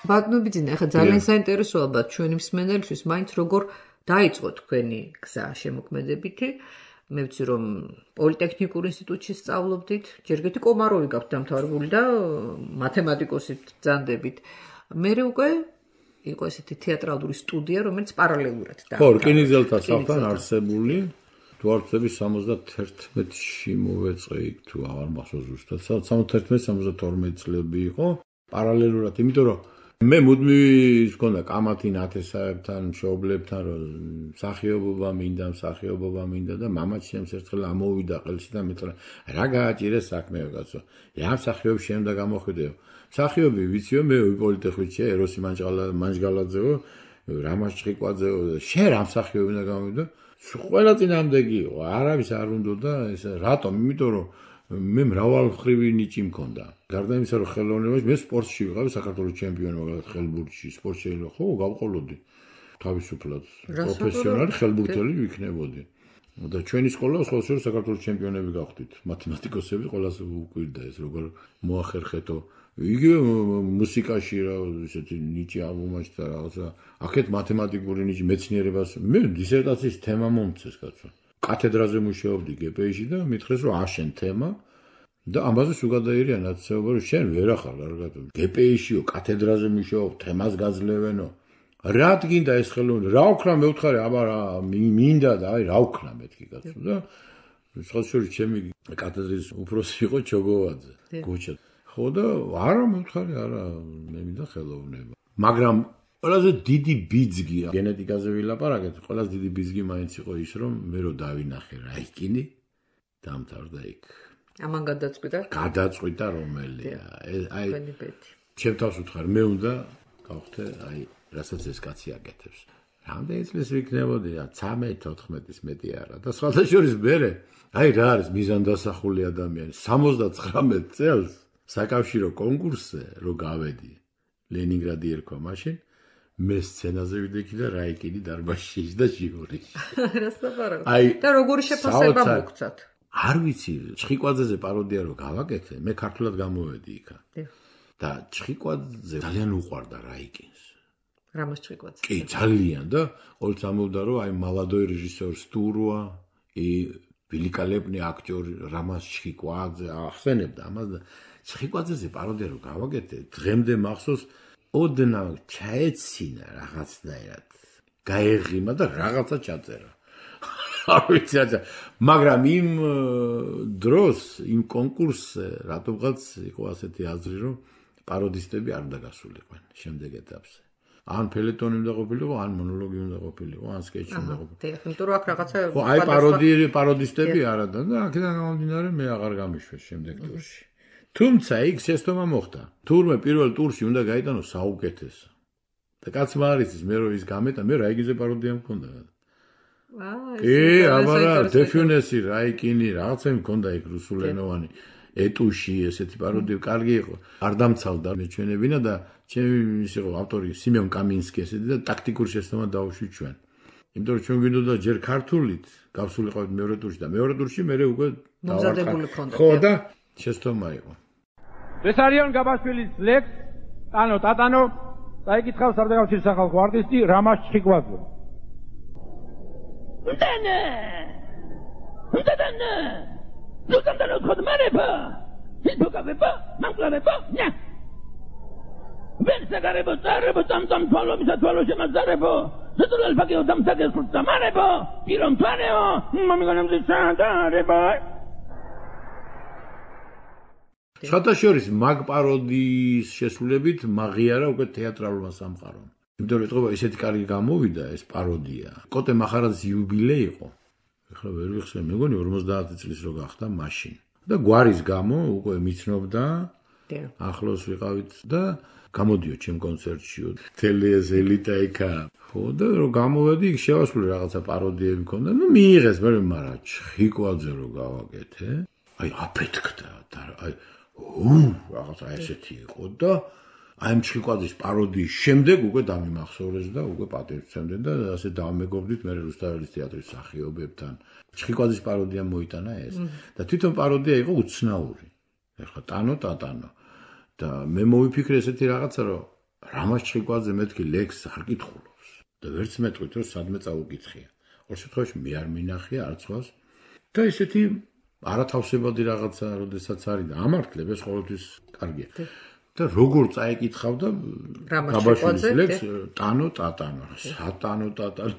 ბატონო ბიძინა, ახლა ძალიან საინტერესოა ალბათ ჩვენი მსმენელისთვის, მაინც როგორ დაიწყო თქვენი გზა შემოქმედებითი. მე ვიცი რომ პოლიტექნიკურ ინსტიტუტში სწავლობდით, ჯერ კიდევ კომაროვი გაქვთ დამთავრებული და მათემატიკოსით ბრძანდებით. მერე უკვე იყო ესეთი თეატრალური სტუდია, რომელიც პარალელურად და ხო, რკინიგზელთა საფთან არსებული თუ არ ვწდები 71-ში მოვეწყე თუ აღარ მახსოვს ზუსტად. 71-72 წლები იყო პარალელურად, იმიტომ რომ მე მუდმივი მქონდა კამათი ნათესაებთან, მშობლებთან, რომ მსახიობობა მინდა და მამაც ჩემს ერთხელ ამოვიდა ყელში და მეტყვა რა გააჭირეს საქმეო კაცო. რა მსახიობი შემდა გამოხვიდეო. მსახიობი ვიციო მე პოლიტექნიკში ეროსი მანჯგალაძეო, რამაზ ჭიკვაძეო, შენ რა მსახიობი უნდა გამოვიდო? ყველა წინამდეგი იყო, არავის არ უნდოდა ეს რატომ? იმიტომ რომ მე მრავალმხრივი ნიჭი მქონდა. გარდა იმისა, რომ ხელოვნებაში მე სპორტში ვიყავი საქართველოს ჩემპიონი, მაგალითად ხელბურთში, სპორტში ხო გავყოლოდი. თავისუფლად პროფესიონალი ხელბურთელი ვიქნებოდი. და ჩვენი სკოლა სხვადასხვა საქართველოს ჩემპიონები გავხდით. მათემატიკოსები ყველას უყვირდა ეს როგორ მოახერხეთო. იგივე მუსიკაში რა ესეთი ნიჭი ალბომაში და რაღაცა. აქეთ მათემატიკური ნიჭი მეცნიერებას მე დისერტაციის თემა მომწეს კაცო. კათედრაზე მუშაობდი გპ-ში და მითხრეს რომ აშენ თემა და ამაზე სულ გადაირია ნაცნობი რომ შენ ვერ ახარ კარგად გპ-შიო კათედრაზე მუშაობ თემას გაძლევენო რა გინდა ეს ხელოვნება რა ვქნა მე ვთხარი აბა რა მინდა და აი რა ვქნა მეთქი კაცო და სხვადასხვა ჩემი კათედრის უფროსი იყო ჩოგოვაძე გოჩა ხო და არა მე ვთხარი არა მე მინდა ხელოვნება მაგრამ ყველაზე დიდი ბიძგია გენეტიკაზე ვილაპარაკეთ ყველაზე დიდი ბიძგი მაინც იყო ის რომ მე რო დავინახე რაიკინი დამთავრდა იქ ამან გადაწყვიტა რომელია აი ჩემ თავს ვთხარ მე უნდა გავხდე აი რასაც ეს კაცი აკეთებს რამდენი წლის ვიქნებოდი 13-14-ის მეტი არა და სხვადასხვა მერე აი რა არის მიზანდასახული ადამიანი 79 წელს საკავშირო კონკურსზე რო გავედი ლენინგრადი ერქვა მაშინ მე სცენაზე ვიდექი და რაიკინი დარბაზში და ჟიურიში. აი და როგორი შეფასება მოგცათ? არ ვიცი, ჩხიკვაძეზე პაროდია რო გავაკეთე, მე ქართულად გამოვედი იქა. და ჩხიკვაძე ძალიან უყვარდა რაიკინს. რამას ჩხიკვაძე? კი, ძალიან და ყოველთვის ამბობდა რომ აი молодой რეჟისორ სტურვა, великолепный актер რამას ჩხიკვაძე ახსენებდა ამას და ჩხიკვაძეზე პაროდია რო გავაკეთე, დღემდე მახსოვს ოდნა ჩაეცინა რაღაცნაირად გაეღიმა და რაღაცა ჩაწერა არ ვიცი აჭა, მაგრამ იმ დროს, იმ კონკურსზე რატომღაც იყო ასეთი აზრი, რომ პაროდისტები არ უნდა გასულიყვნენ შემდეგ ეტაპზე. ან ფელეტონი უნდა ყოფილიყო, ან მონოლოგი უნდა ყოფილიყო, ან სკეჩი უნდა ყოფილიყო. დიახ, იმიტომ რომ აქ რაღაცა ხო, აი პაროდისტები არა და აქედან გამომდინარე მე აღარ გამიშვეს შემდეგ ტურში. თუმცა იქ შეცდომა მოხდა. თურმე პირველ ტურში უნდა გაიტანო საუკეთესო. და კაცმა არ იცის მე რომ ის გამეტა, მე რაიგიზე პაროდია მქონდა. აბარა დეფიუნესი, რაიკინი, რაღაცა მქონდა იქ რუსულენოვანი. ეტუში ესეთი პაროდია კარგი იყო. არ დამცალდა მეჩვენებინა და ჩემი ის იყო ავტორი სიმეონ კამინსკი ესეთი და ტაქტიკურ შეცდომა დავუშვით ჩვენ. იმიტომ რომ ჩვენ გვინდოდა ჯერ ქართულით გავსულიყავით მეორე ტურში და მეორე ტურში მე უკვე მომზადებული ქონდა. ხო და შეცდომა იყო. ეს არიან გაბაშვილის ლექს, ტანო ტატანო, დაიკითხავს სარდაგავშის სახალხო არტისტი რამაზ ჩხიკვაძე. უდანა ზოგადად ხოდმარება ისბოკავება მანკლარება ნა ვერსაგარებო წარებო წამწამ თვალობისა თვალო შემაძარებო ზედულალ ფაკიო დამსაგეს ხუთამარებო პირომ თვანეო მომიგონემზე ჩანდარება შატაშორის მაგ პაროდიის შესრულებით მაღიარა უკვე თეატრალურმა სამყარომ. იმიტომ რომ ეთყობა ესეთი კარგი გამოვიდა ეს პაროდია. კოტე მახარაძის იუბილე იყო. ეხლა ვერ ვიხსენ, მეგონი 50 წლის რო გახდა მაშინ. და გვარის გამო უკვე მიცნობდა. ახლოს ვიყავით და გამოდიო ჩემ კონცერტშიო. თელეს ელიტა იქა. ხო და რო გამოვედი, იქ შევასრულე რაღაცა პაროდიები მქონდა. ნუ მიიღეს, მაგრამ ჩხიკვაძე რო გავაკეთე. აი აფეთქდა და აი რაღაცა ესეთი იყო და აი ჩხიკვაძის პაროდიის შემდეგ უკვე დამიმახსოვრეს და უკვე პატივცემდნენ და ასე დავმეგობრდით მე რუსთაველის თეატრის მსახიობებთან. ჩხიკვაძის პაროდია მოიტანა ეს და თვითონ პაროდია იყო უცნაური. ეხლა ტანო ტატანო და მე მოვიფიქრე ესეთი რაღაცა რომ რამაზ ჩხიკვაძე მეთქი ლექსს არ კითხულობს და ვერც მეტყვით რომ სადმე წაუკითხია. ორ შემთხვევაში მე არ მინახია არც ხავს და ესეთი არათავსებადი რაღაცა როდესაც არის და ამართლებს ყოველთვის კარგია. და როგორ წაიკითხავდა გაბაშვილის ლექს ტანო ტატანო, სატანო ტატანო.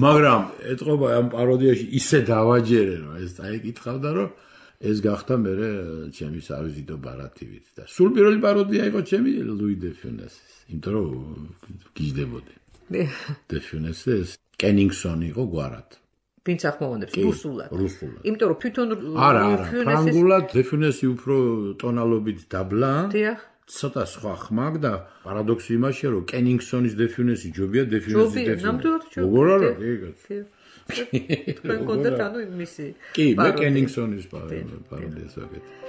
მაგრამ ეთყობა ამ პაროდიაში ისე დავაჯერე რომ ეს წაიკითხავდა რომ ეს გახდა მე ჩემი სავიზიტო ბარათივით და სულ პირველი პაროდია იყო ჩემი ლუი დე ფიუნესის. იმიტომ რომ გიждდებოდი. დე ფიუნესის კენინგსონი იყო გვარად. ვინც ახმოვანებს რუსულად. იმიტომ რომ თვითონ არა, ფრანგულად დეფინესი უფრო ტონალობით დაბლა. დიახ. ცოტა სხვა ხმაგ და პარადოქსი იმაშია, რომ კენინგსონის დეფინესი ჯობია დეფინესის დეფინესი. ნამდვილად ჯობია. როგორ არა, კი. თქვენ კონდეთ ანუ მისი. კი, მე კენინგსონის პაროდიას ვაკეთე.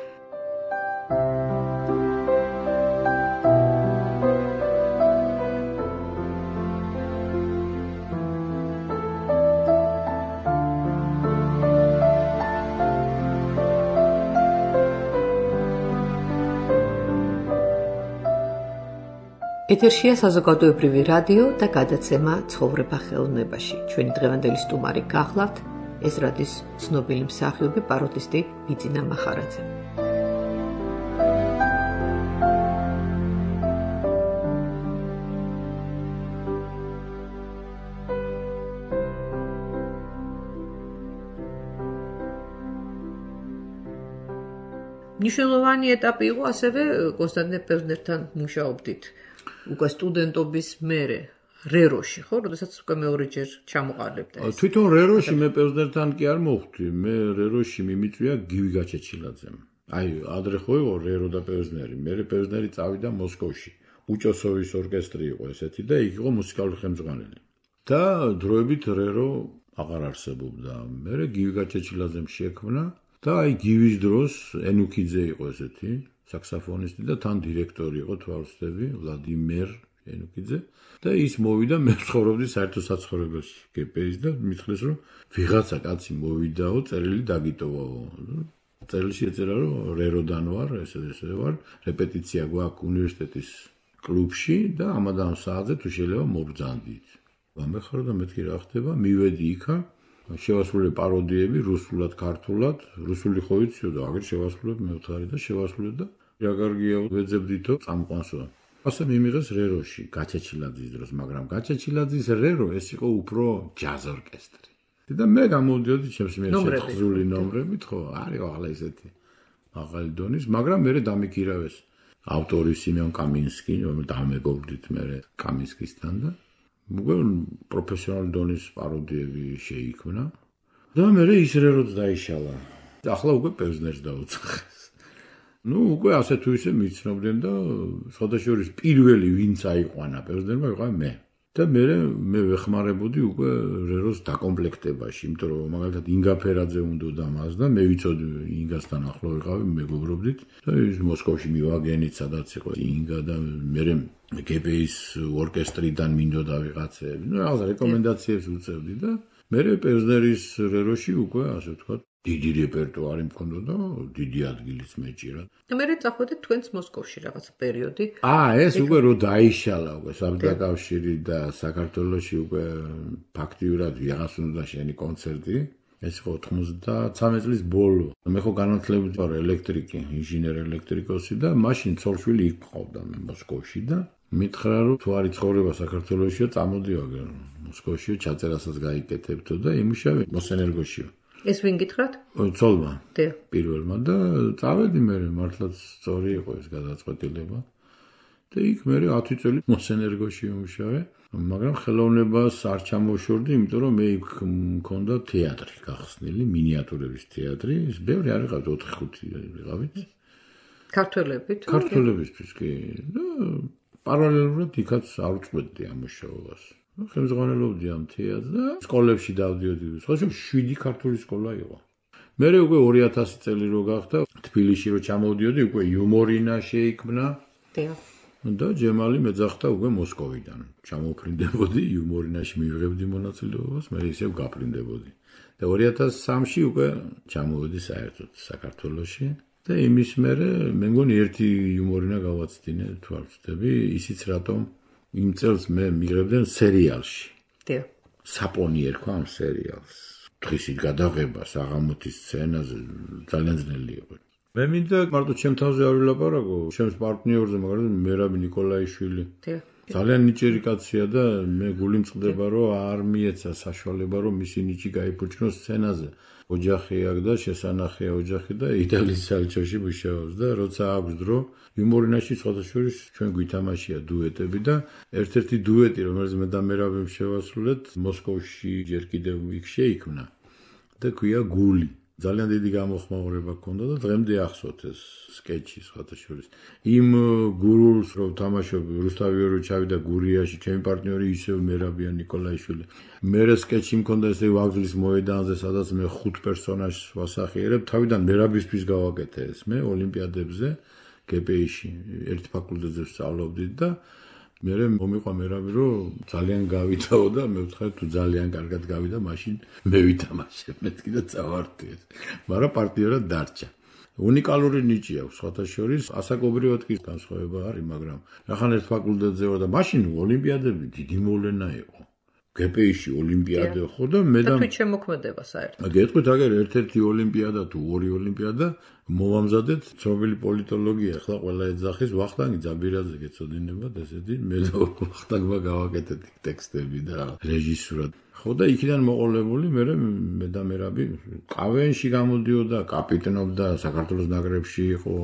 ეთერშია საზოგადოებრივი რადიო და გადაცემა ცხოვრება ხელოვნებაში. ჩვენი დღევანდელი სტუმარი გახლავთ ეს რადიოს ცნობილი მსახიობი პაროდისტი ბიძინა მახარაძე. მნიშვნელოვანი ეტაპი იყო ასევე კონსტანტინე პევზნერთან მუშაობდით. უკვე სტუდენტობის მერე რეროში, ხო, როდესაც უკვე მეორეჯერ ჩამოყალიბდა ეს. თვითონ რეროში მე პევზნერთან კი არ მოვხვდი, მე რეროში მიმიწვია გივი გაჩეჩილაძემ. აი, ადრე ხო იყო რერო და პევზნერი, მე პევზნერი წავიდა მოსკოვში. უჭოსოვის ორკესტრი იყო ესეთი და იქ იყო მუსიკალური ხელმძღვანელი. და დროებით რერო აღარ არსებობდა. მე გივი გაჩეჩილაძემ შექმნა და აი გივის დროს ენუქიძე იყო ესეთი საქსაფონისტი და თან დირექტორი იყო თვალსწრები ვლადიმერ ენუქიძე და ის მოვიდა მე ცხოვრობდი საერთო საცხოვრებელში გპ-ის და მითხრეს რომ ვიღაცა კაცი მოვიდაო წერილი დაგიტოვაო წერილში ეწერა რომ რეროდან ვარ ესე ვარ რეპეტიცია გვაქვს უნივერსიტეტის კლუბში და ამადამ საათზე თუ შეიძლება მობრძანდით გამეხარო და მეთქი რა ხდება მივედი იქა შევასრულე პაროდიები რუსულად ქართულად რუსული ხო ვიციო და აგერ შევასრულებ მევთხარი და შევასრულე და რა კარგია ვეძებდითო წამყვანსო ასე მიმიღეს რეროში გაჩეჩილაძის დროს მაგრამ გაჩეჩილაძის რერო ეს იყო უფრო ჯაზ ორკესტრი და მე გამოვდიოდი ჩემს მიერ შეთხზული ნომრებით, ხო, არის ახლა ესეთი მაღალი დონის, მაგრამ მე დამიქირავეს ავტორი სიმეონ კამინსკი, რომელიც დამეგობრდით მე კამინსკისთან და უკვე პროფესიონალი დონის პაროდიები შეიქმნა და მე ის რეროც დაიშალა. ახლა უკვე პევზნერს დაუცხეს. უკვე ასე თუ ისე მიცნობდნენ და სხვადასხვა პირველი ვინც აიყვანა პევზნერმა იყო მე. და მე ვეხმარებოდი უკვე რეროს დაკომპლექტებაში, იმიტომ რომ მაგალითად ინგა ფერაძე უნდოდა მას და მე ვიცოდი ინგასთან ახლო ვიყავი, მეგობრობდით და ის მოსკოვში მივაგენით, სადაც იყო ინგა და მე გპ-ის ორკესტრიდან მინდოდა ვიღაცები. რაღაცა რეკომენდაციებს უწევდი და მე პევზნერის რეროში უკვე ასე ვთქვათ დიდი რეპერტუარი მქონდა, დიდი ადგილიც მეჭირა. მე წახვედით თქვენს მოსკოვში რაღაც პერიოდი. ეს უკვე რო დაიშალა უკვე საბჭოთა კავშირი და საქართველოში უკვე ფაქტიურად ვიღაც უნდა შენი კონცერტი. ეს იყო 93 წლის ბოლო. მე ხო განათლებით ვარ ელექტრიკი, ინჟინერ ელექტრიკოსი და მაშინ ცოლშვილი იქ მყავდა მე მოსკოვში და მითხრა რომ თუ არის ცხოვრება საქართველოშია, წამოდივაგე მოსკოვში, ჩაწერასაც გაიკეთებთო და იმუშავე მოსენერგოშია. ეს ვინ გითხრათ? ცოლმა. პირველმა და წავედი მე მართლაც სწორი იყო ეს გადაწყვეტილება. და იქ მე 10 წელი მოსენერგოში ვიმუშავე, მაგრამ ხელოვნებას არ ჩამოვშორდი, იმიტომ რომ მე იქ მქონდა თეატრი გახსნილი, მინიატურების თეატრი, ის ბევრი არ იყავთ 4-5 ვიყავით. ქართველებით? ქართველებისთვის კი. და პარალელურად იქაც არ უწყვეტდი ამ მუშაობას. ხელმძღვანელობდი ამ თეატრს და სკოლებში დავდიოდი. სხვადასხვა 7 ქართული სკოლა იყო. მე უკვე 2000 წელი რო გახდა, თბილისში რო ჩამოვდიოდი, უკვე იუმორინა შეიქმნა. და ჯემალი მეძახდა უკვე მოსკოვიდან. ჩამოფრინდებოდი იუმორინაში მივიღებდი მონაწილეობას, მე ისევ გაფრინდებოდი. და 2003-ში უკვე ჩამოვედი საერთოდ საქართველოში და იმის მერე მე მგონი ერთი იუმორინა გავაცდინე, თუ არ ვცდები, ისიც რატომ იმ წელს მე მიღებდნენ სერიალში. საპონი ერქვა ამ სერიალს. დღისით გადაღება საღამოთის სცენაზე ძალიან ძნელი იყო. მე მინდა მარტო ჩემ თავზე არ ვილაპარაკო, ჩემს პარტნიორზე, მაგრამ მერაბი ნიკოლაიშვილი. ძალიან ნიჭიერი კაცია და მე გული მწყდება, რომ არ მიეცა საშუალება, რომ მისი ნიჭი გაიფუჭნოს სცენაზე. ოჯახი აქვს და შესანახია ოჯახი და იტალიის საელჩოში მუშაობს და როცა აქვს დრო, იუმორინაში სხვადასხვა ჩვენ გვითამაშია დუეტები და ერთ-ერთი დუეტი, რომელიც მე და მერაბი შევასრულეთ, მოსკოვში ჯერ კიდევ იქ შეიქმნა და ქვია გული. ძალიან დიდი გამოხმაურება ჰქონდა და დღემდე ახსოვთ ეს სკეჩი სხვადასხვა. იმ გურულს რო თამაშობ რუსთავი ორი ჩავიდა გურიაში, ჩემი პარტნიორი ისევ მერაბია ნიკოლაიშვილი. მე სკეჩი მქონდა ესე ვაგზლის მოედანზე, სადაც მე 5 პერსონაჟს ვასახიერებ, თავიდან მერაბისთვის გავაკეთე ეს მე ოლიმპიადებზე გპ-ში, ერთ ფაკულტეტზე ვსწავლობდი და მე მომიყვა მერაბი რომ ძალიან გავითაო და მე ვთქვი თუ ძალიან კარგად გავიდა, მაშინ მე ვითამაშე, მე კიდე წავარდი ეს. მაგრამ პარტნიორად დარჩა. უნიკალური ნიჭი აქვს სხვათაშორის, ასაკობრივად კი განსხვავება არის, მაგრამ რახან ერთ ფაკულტეტზე ვარ და მაშინ ოლიმპიადები დიდი მოვლენა იყო. გპ-ში ოლიმპიადა ხო და მე და თქვი შემოქმედება საერთოდ. გეტყვით აგერ ერთ-ერთი ოლიმპიადა თუ ორი ოლიმპიადა მოვამზადეთ ცნობილი პოლიტოლოგია, ახლა ყველა ეძახის ვახტანგი ძაბირაძე გეწოდინებათ ესეთი, მე და ვახტანგმა გავაკეთეთ ტექსტები და რეჟისურა. ხო და იქიდან მოყოლებული მე და მერაბი ყავენში გამოდიოდა, კაპიტნობდა, საქართველოს ნაკრებში იყო.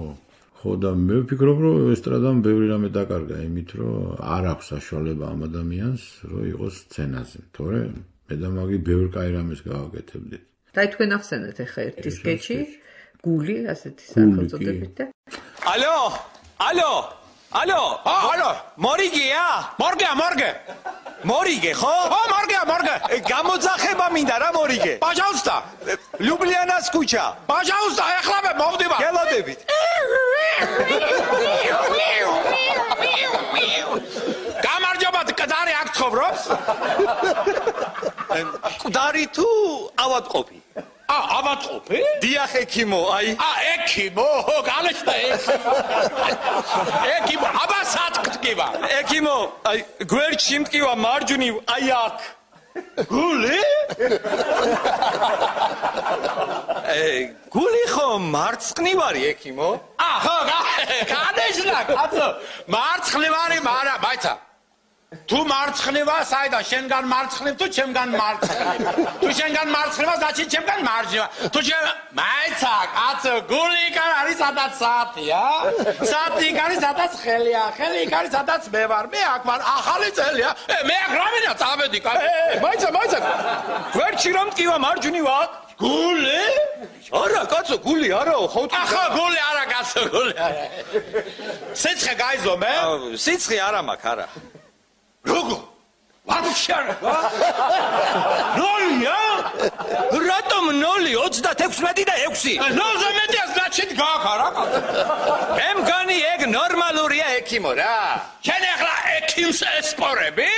ხო და მე ვფიქრობ, რომ ესტრადამ ბევრი რამე დაკარგა იმით, რომ არ აქვს საშუალება ამ ადამიანს, რომ იყოს სცენაზე. თორე მე და მაგი ბევრ კაი რამეს გავაკეთებდით. და თქვენ ახსენეთ ახლა ერთი სკეჩი, გული, ასეთი სახელწოდებით და ალო, ალო, ალო, ალო, მორიგეა? მორგე. მორიგე, ხო? მორგე. გამოძახება მინდა რა მორიგე. Пожалуйста. ლიუბლიანას ქუჩა. Пожалуйста, ახლა მე მოვდივარ. გელოდებით. გამარჯობა, კდარი აქ ცხოვრობს? მკვდარი თუ ავადმყოფი? ავადმყოფი? დიახ, ექიმო, აი. ექიმო, გალეშდა ექიმო, აბასად გტკივა. ექიმო, აი გვერდში მტკივა მარჯვნივ, აი აქ. გული? გული ხო მარცხნივარი ექიმო? ხო, განეშლა, კაცო. მარცხნივარი, მაგრამ მაიცა. თუ მარცხნივა, საიდან შენგან მარცხნივ თუ ჩემგან მარცხნივ. თუ შენგან მარცხნივა, значит ჩემგან მარჯვნივ. თუ მაიცა, კაცო, გული იქ არის სადაც საათია. საათი იქ არის სადაც ხელია. ხელი იქ არის სადაც მე ვარ. მე აქ ვარ, ახალი წელია. მე აქ რამენა წავედი, კაცო. მაიცა. გვერდში რომ მტკივა მარჯვნივა. გული? არა, კაცო, გული არაო, ხო? ახლა გული არა, კაცო, გული არა. სიცხე გაიზომე? სიცხე არა მაქვს, არა. Rugo! Вообще! Нолია? რატომ 0? 36 და 6. 0-ზე მეტია, значит, გაქვს რა. მე მგონი ეგ ნორმალურია ექიმო რა. შენ ახლა ექიმს ესპორები?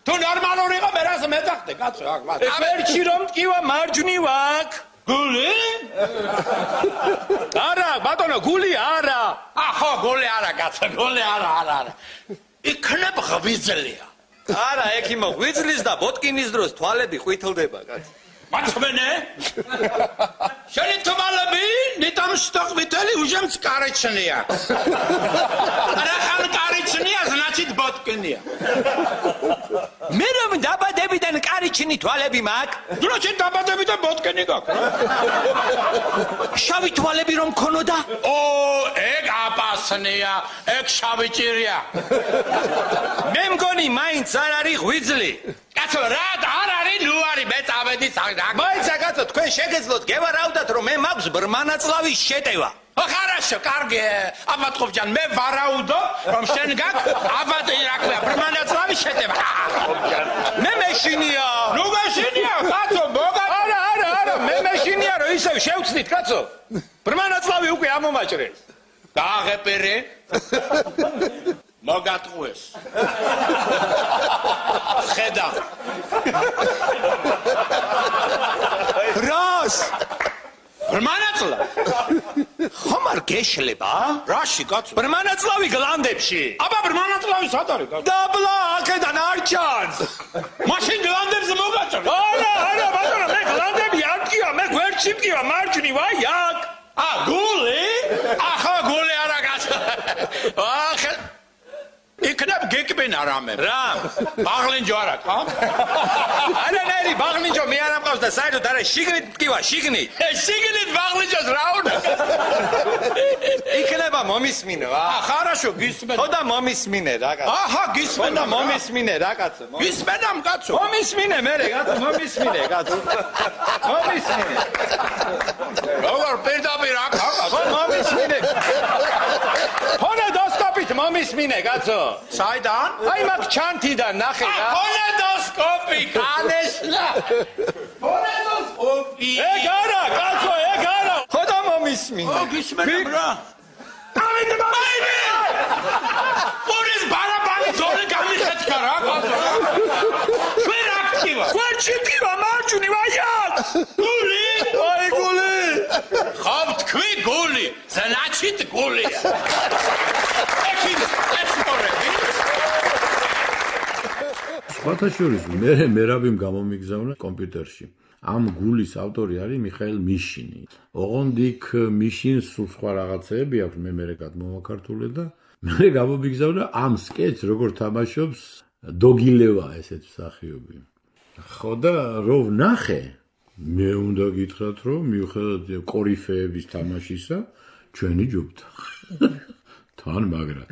თუ ნორმალური იყო, მე რას მეძახდე, კაცო, აქ მას. ვერჩი რომ მტკივა მარჯვნივ აქ. გული? არა, ბატონო, გული არა. ხო, გული არა, კაცო, გული არა. იქნებ ღვიძლია. არა, ექიმო, ღვიძლის და ბოტკინის დროს თვალები ყვითლდება, კაცო. მაცმენე? შენი თვალები ნიტამ შტოყვითელი უჟემს კარიჩნია. რახან კარიჩნია, значит ბოტკინია. მე რომ დაბადებიდან კარიჩნი თვალები მაქვს? значит დაბადებიდან ბოტკინი გაქვს. შავი თვალები რომ მქონოდა? ეგ აპასნია, ეგ შავი ჭირია. მე მგონი მაინც არ არის ღვიძლი. კაცო, რა არ არის, ნუ არის, მე წავედი საგდაკ. მაინც კაცო, თქვენ შეგეძლოთ გევარაუდათ, რომ მე მაქვს ბრმანაწლავის შეტევა. Хорошо, კარგი, აბატყობჯან, მე ვარაუდო, რომ შენ გაქვს აბატი რა ქვია, ბრმანაწლავის შეტევა. მე მეშინია. ნუ მეშინია, კაცო, მოგა. არა, მე მეშინია, რომ ისევ შევწნით, კაცო. ბრმანაწლავი უკვე ამომაჭრეს. გააღეპერე. მოგატყუეს. ხედა. რას? ბრმანაწლა? ხომ არ გეშლება? რაში, კაცო? ბრმანაწლავი გლანდებში. აბა ბრმანაწლავი სად არის, კაცო? დაბლა, აქედან არ ჩანს. მაშინ გლანდებზე მოგაჭრე. არა, ბატონო, მე გლანდები არ მტკივა, მე გვერდში მტკივა, მარჯვნივ, აი აქ. გული? ახლა გული არა, კაცო. იქნებ გეკბენა რამე. რა? ბაღლინჯო არა, ხო? არანაირი ბაღლინჯო მე არ ამყავს და საერთოდ არა, შიგნით მტკივა, შიგნით. შიგნით ბაღლინჯოს რა უნდა? იქნება მომისმინო, хорошо, გისმენ. ხო და მომისმინე რა კაცო. გისმენ და მომისმინე რა კაცო. გისმენამ კაცო. მომისმინე მე კაცო, მომისმინე კაცო. მომისმინე. როგორ პირდაპირ აქ კაცო. მომისმინე. ფონედოსკოპით მომისმინე კაცო. საიდან? აი მაგ ჩანთიდან ნახე რა. ფონედოსკოპი, კანესლა. ფონედოსკოპი. ეგ არა, კაცო, ეგ არა. ხო და მომისმინე. გისმენამ რა. ამით მაინე. პურის ბარაბანი ძოლი გამიხეთქა რა კაცო. ჩვენ აქტივა. გვერდში მტკივა, მარჯვნივ, აი აქ. გული? აი გული. ხო თქვი გული, значит გულია. სხვათა შორის მე რაბიმ გამომიგზავნა კომპიუტერში. ამ გულის ავტორი არის მიხაილ მიშინი. ოღონდ იქ მიშინს სულ სხვა რაღაცეები აქვს, მე გადმოვაქართულე და მე გამომიგზავნა ამ სკეჩს, როგორ თამაშობს დოგილევა ესეთ მსახიობი. ხო და რო ვნახე, მე უნდა გითხრათ, რომ მიუხედავად კორიფეების თამაშისა, ჩვენი ჯობდა. თან მაგრა.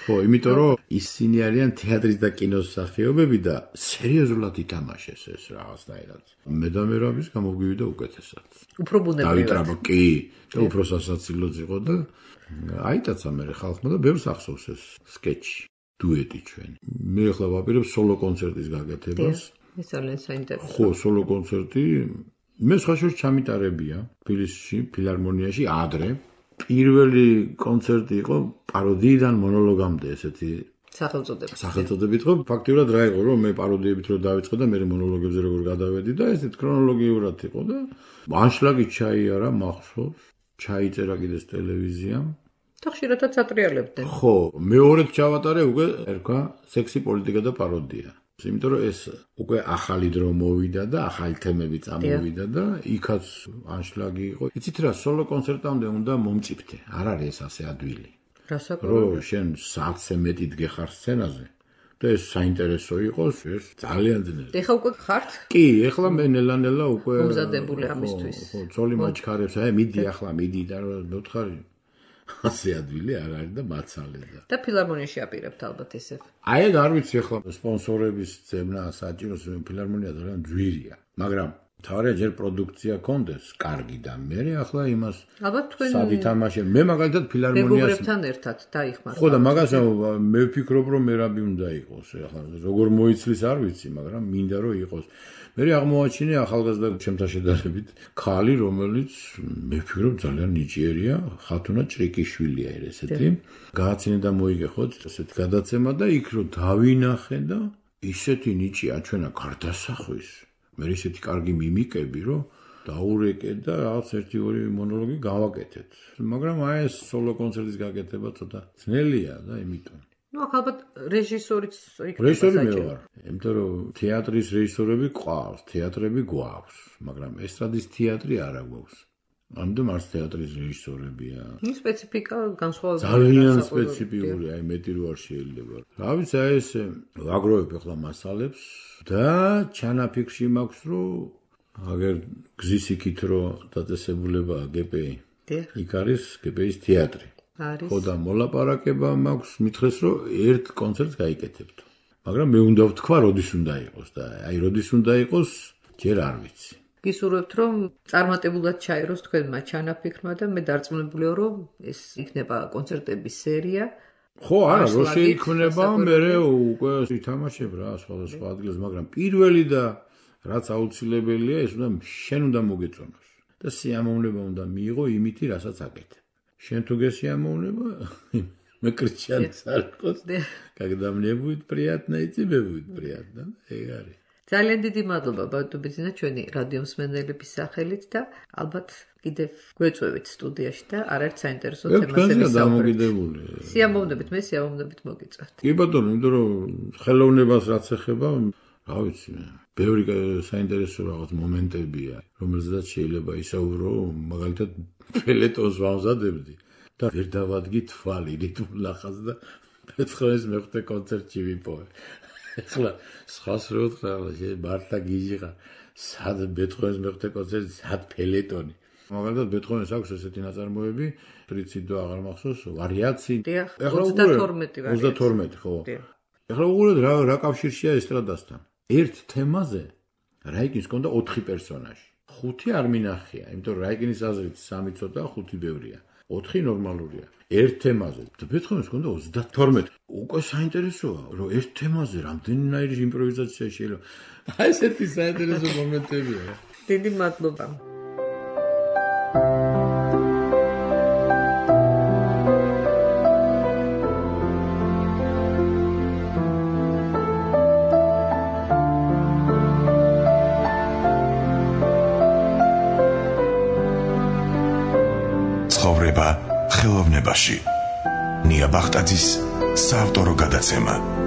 ხო, იმიტომ რომ ისინი არიან თეატრის და კინოს მსახიობები და სერიოზულად ითამაშეს ეს რაღაცნაირად. მე და მე რაბის გამოვივიდა უკეთესად. უფრო ბუნებრივად. კი, უფრო სასაცილოც იყო და აიტაცა მე ხალხმა და ბევრს ახსოვს ეს სკეჩი, დუეტი ჩვენი. მე ახლა ვაპირებ სოლო კონცერტის გაკეთებას. ეს ძალიან საინტერესო. ხო, სოლო კონცერტი მე სხვა შორის ჩამიტარებია თბილისში, ფილარმონიაში ადრე. პირველი კონცერტი იყო პაროდიიდან მონოლოგამდე ესეთი სახელწოდებით იყო. ფაქტიურად რა იყო, რომ მე პაროდიებით რო დავიწყე და მე მონოლოგებზე როგორ გადავედი და ესეთ ქრონოლოგიურად იყო და ანშლაგი ჩაიარა მახსოვს, ჩაიწერა კიდეს ტელევიზიამ. და ხშირადაც ატრიალებდნენ. ხო, მეორედ ჩავატარე უკვე ერქვა სექსი პოლიტიკა და პაროდია. იმიტომ რომ ეს უკვე ახალი დრო მოვიდა და ახალი თემები წამოვიდა და იქაც ანშლაგი იყო. იცით რა, სოლო კონცერტამდე უნდა მომწიფთე. არ არის ეს ასე ადვილი. რომ შენ საათზე მეტი დგეხარ სცენაზე და ეს საინტერესო იყოს, ეს ძალიან ძნელი. ეხლა უკვე ხართ? კი, ეხლა მე ნელა უკვე მომზადებული ამისთვის. ხო, ძოლი მაჩქარებს, მიდი ახლა, მიდი და მოთხარი. ასე ადვილი არ არის და მაცალე და. და ფილარმონიაში აპირებთ ალბათ ესე. აი არ ვიცი ახლა სპონსორების ძებნა საჭიროს ფილარმონია ძალიან ძვირია, მაგრამ თავარია ჯერ პროდუქცია კონდეს, კარგი და მე ახლა იმას ალბათ თქვენ სადითამაშე მე მაგალითად ფილარმონიას მეგობრებთან ერთად დაიხმართ. ხო და მაგას მე ვფიქრობ რომ მერაბი უნდა იყოს ახლა როგორ მოიცლის არ ვიცი, მაგრამ მინდა რომ იყოს. მე აღმოაჩინე ახალგაზრდა ჩემთან შედარებით ქალი, რომელიც მე ვფიქრობ ძალიან ნიჭიერია, ხათუნა ჭრიკიშვილია ესეთი. გააცინე და მოიგეხოთ ესეთ გადაცემა და იქ რომ დავინახე და ისეთი ნიჭი აჩვენა გარდასახვის. მე ისეთი კარგი მიმიკები, რომ დაურეკე და რაღაც 1-2 მონოლოგი გავაკეთეთ. მაგრამ აი ეს სოლო კონცერტის გაკეთება ცოტა ძნელია და იმიტომ. ნუ ალბათ რეჟისორიც რეჟისორი მე ვარ. იმიტომ რომ თეატრის რეჟისორები ყავს, თეატრები გვაქვს, მაგრამ ესტრადის თეატრი არა გვაქვს. ამიტომ არც თეატრის რეჟისორებია. ნუ სპეციფიკა განსხვავებული. ძალიან სპეციფიკური, აი მეტი რო არ შეიძლება. რა ვიცი, აი ეს ვაგროვებ ახლა მასალებს და ჩანაფიქრში მაქვს, რომ აგერ გზის იქით რომ დაწესებულება GPI. იქ არის GPI-ის თეატრი. არის. ხო და მოლაპარაკება მაქვს, მითხრეს რომ ერთ კონცერტს გაიკეთებთ. მაგრამ მე უნდა ვთქვა, როდის უნდა იყოს და აი როდის უნდა იყოს, ჯერ არ ვიცი. გისურვებთ რომ წარმატებულად ჩაეროს თქვენმა ჩანაფიქრმა და მე დარწმუნებულია რომ ეს იქნება კონცერტების სერია. ხო, არა, რო შეიქმნება, მე უკვე ითამაშებ რა სხვადასხვა ადგილას, მაგრამ პირველი და რაც აუცილებელია, ეს შენ უნდა მოგეწონოს და სიამოვნება უნდა მიიღო იმითი, რასაც აკეთებ. შენ თუ გესიამოვნება, მე კრიჩიანს არ ყოს. Когда мне будет приятно, и тебе будет приятно. ეგ არის. ძალიან დიდი მადლობა ბატონბიძინა ჩვენი რადიო მსმენელების სახელით და ალბათ კიდევ გვეწვევით სტუდიაში და არაერთ საინტერესო თემაზე დამოკიდებული. სიამოვნებით, მე სიამოვნებით მოგიწევთ. კი ბატონო, იმიტომ რომ ხელოვნებას რაც ეხება, რა ვიცი, ბევრი საინტერესო რაღაც მომენტებია, რომელზეც შეიძლება ისაუბრო, მაგალითად ფელეტონს ვამზადებდი და ვერ დავადგი თვალი რიტმულახას და მეცხრეს მეხუთე კონცერტში ვიპოვე. ახლა სხვას რო ვთქვა, მართლა გიჟიღა, სად ბეთჰოვენის მეხუთე კონცერტი, სად ფელეტონი. მაგალითად ბეთჰოვენს აქვს ესეთი ნაწარმოები, პრინციპი აღარ მახსოვს, ვარიაცი. ახლა 32 ხო. ახლა უყურეთ რა კავშირშია ესტრადასთან. ერთ თემაზე რაიკინს ჰქონდა 4 პერსონაჟი. 5 არ მინახია, იმიტომ რომ რაიკინის აზრით 3 ცოტა, 5 ბევრია. 4 ნორმალურია. ერთ თემაზე და ბეთჰოვენს ჰქონდა 32. უკვე საინტერესოა, რომ ერთ თემაზე რამდენიერი იმპროვიზაცია შეიძლება. აი ესეთი საინტერესო მომენტებია. დიდი მადლობა. ცხოვრება ხელოვნებაში. ნია ბახტაძის საავტორო გადაცემა.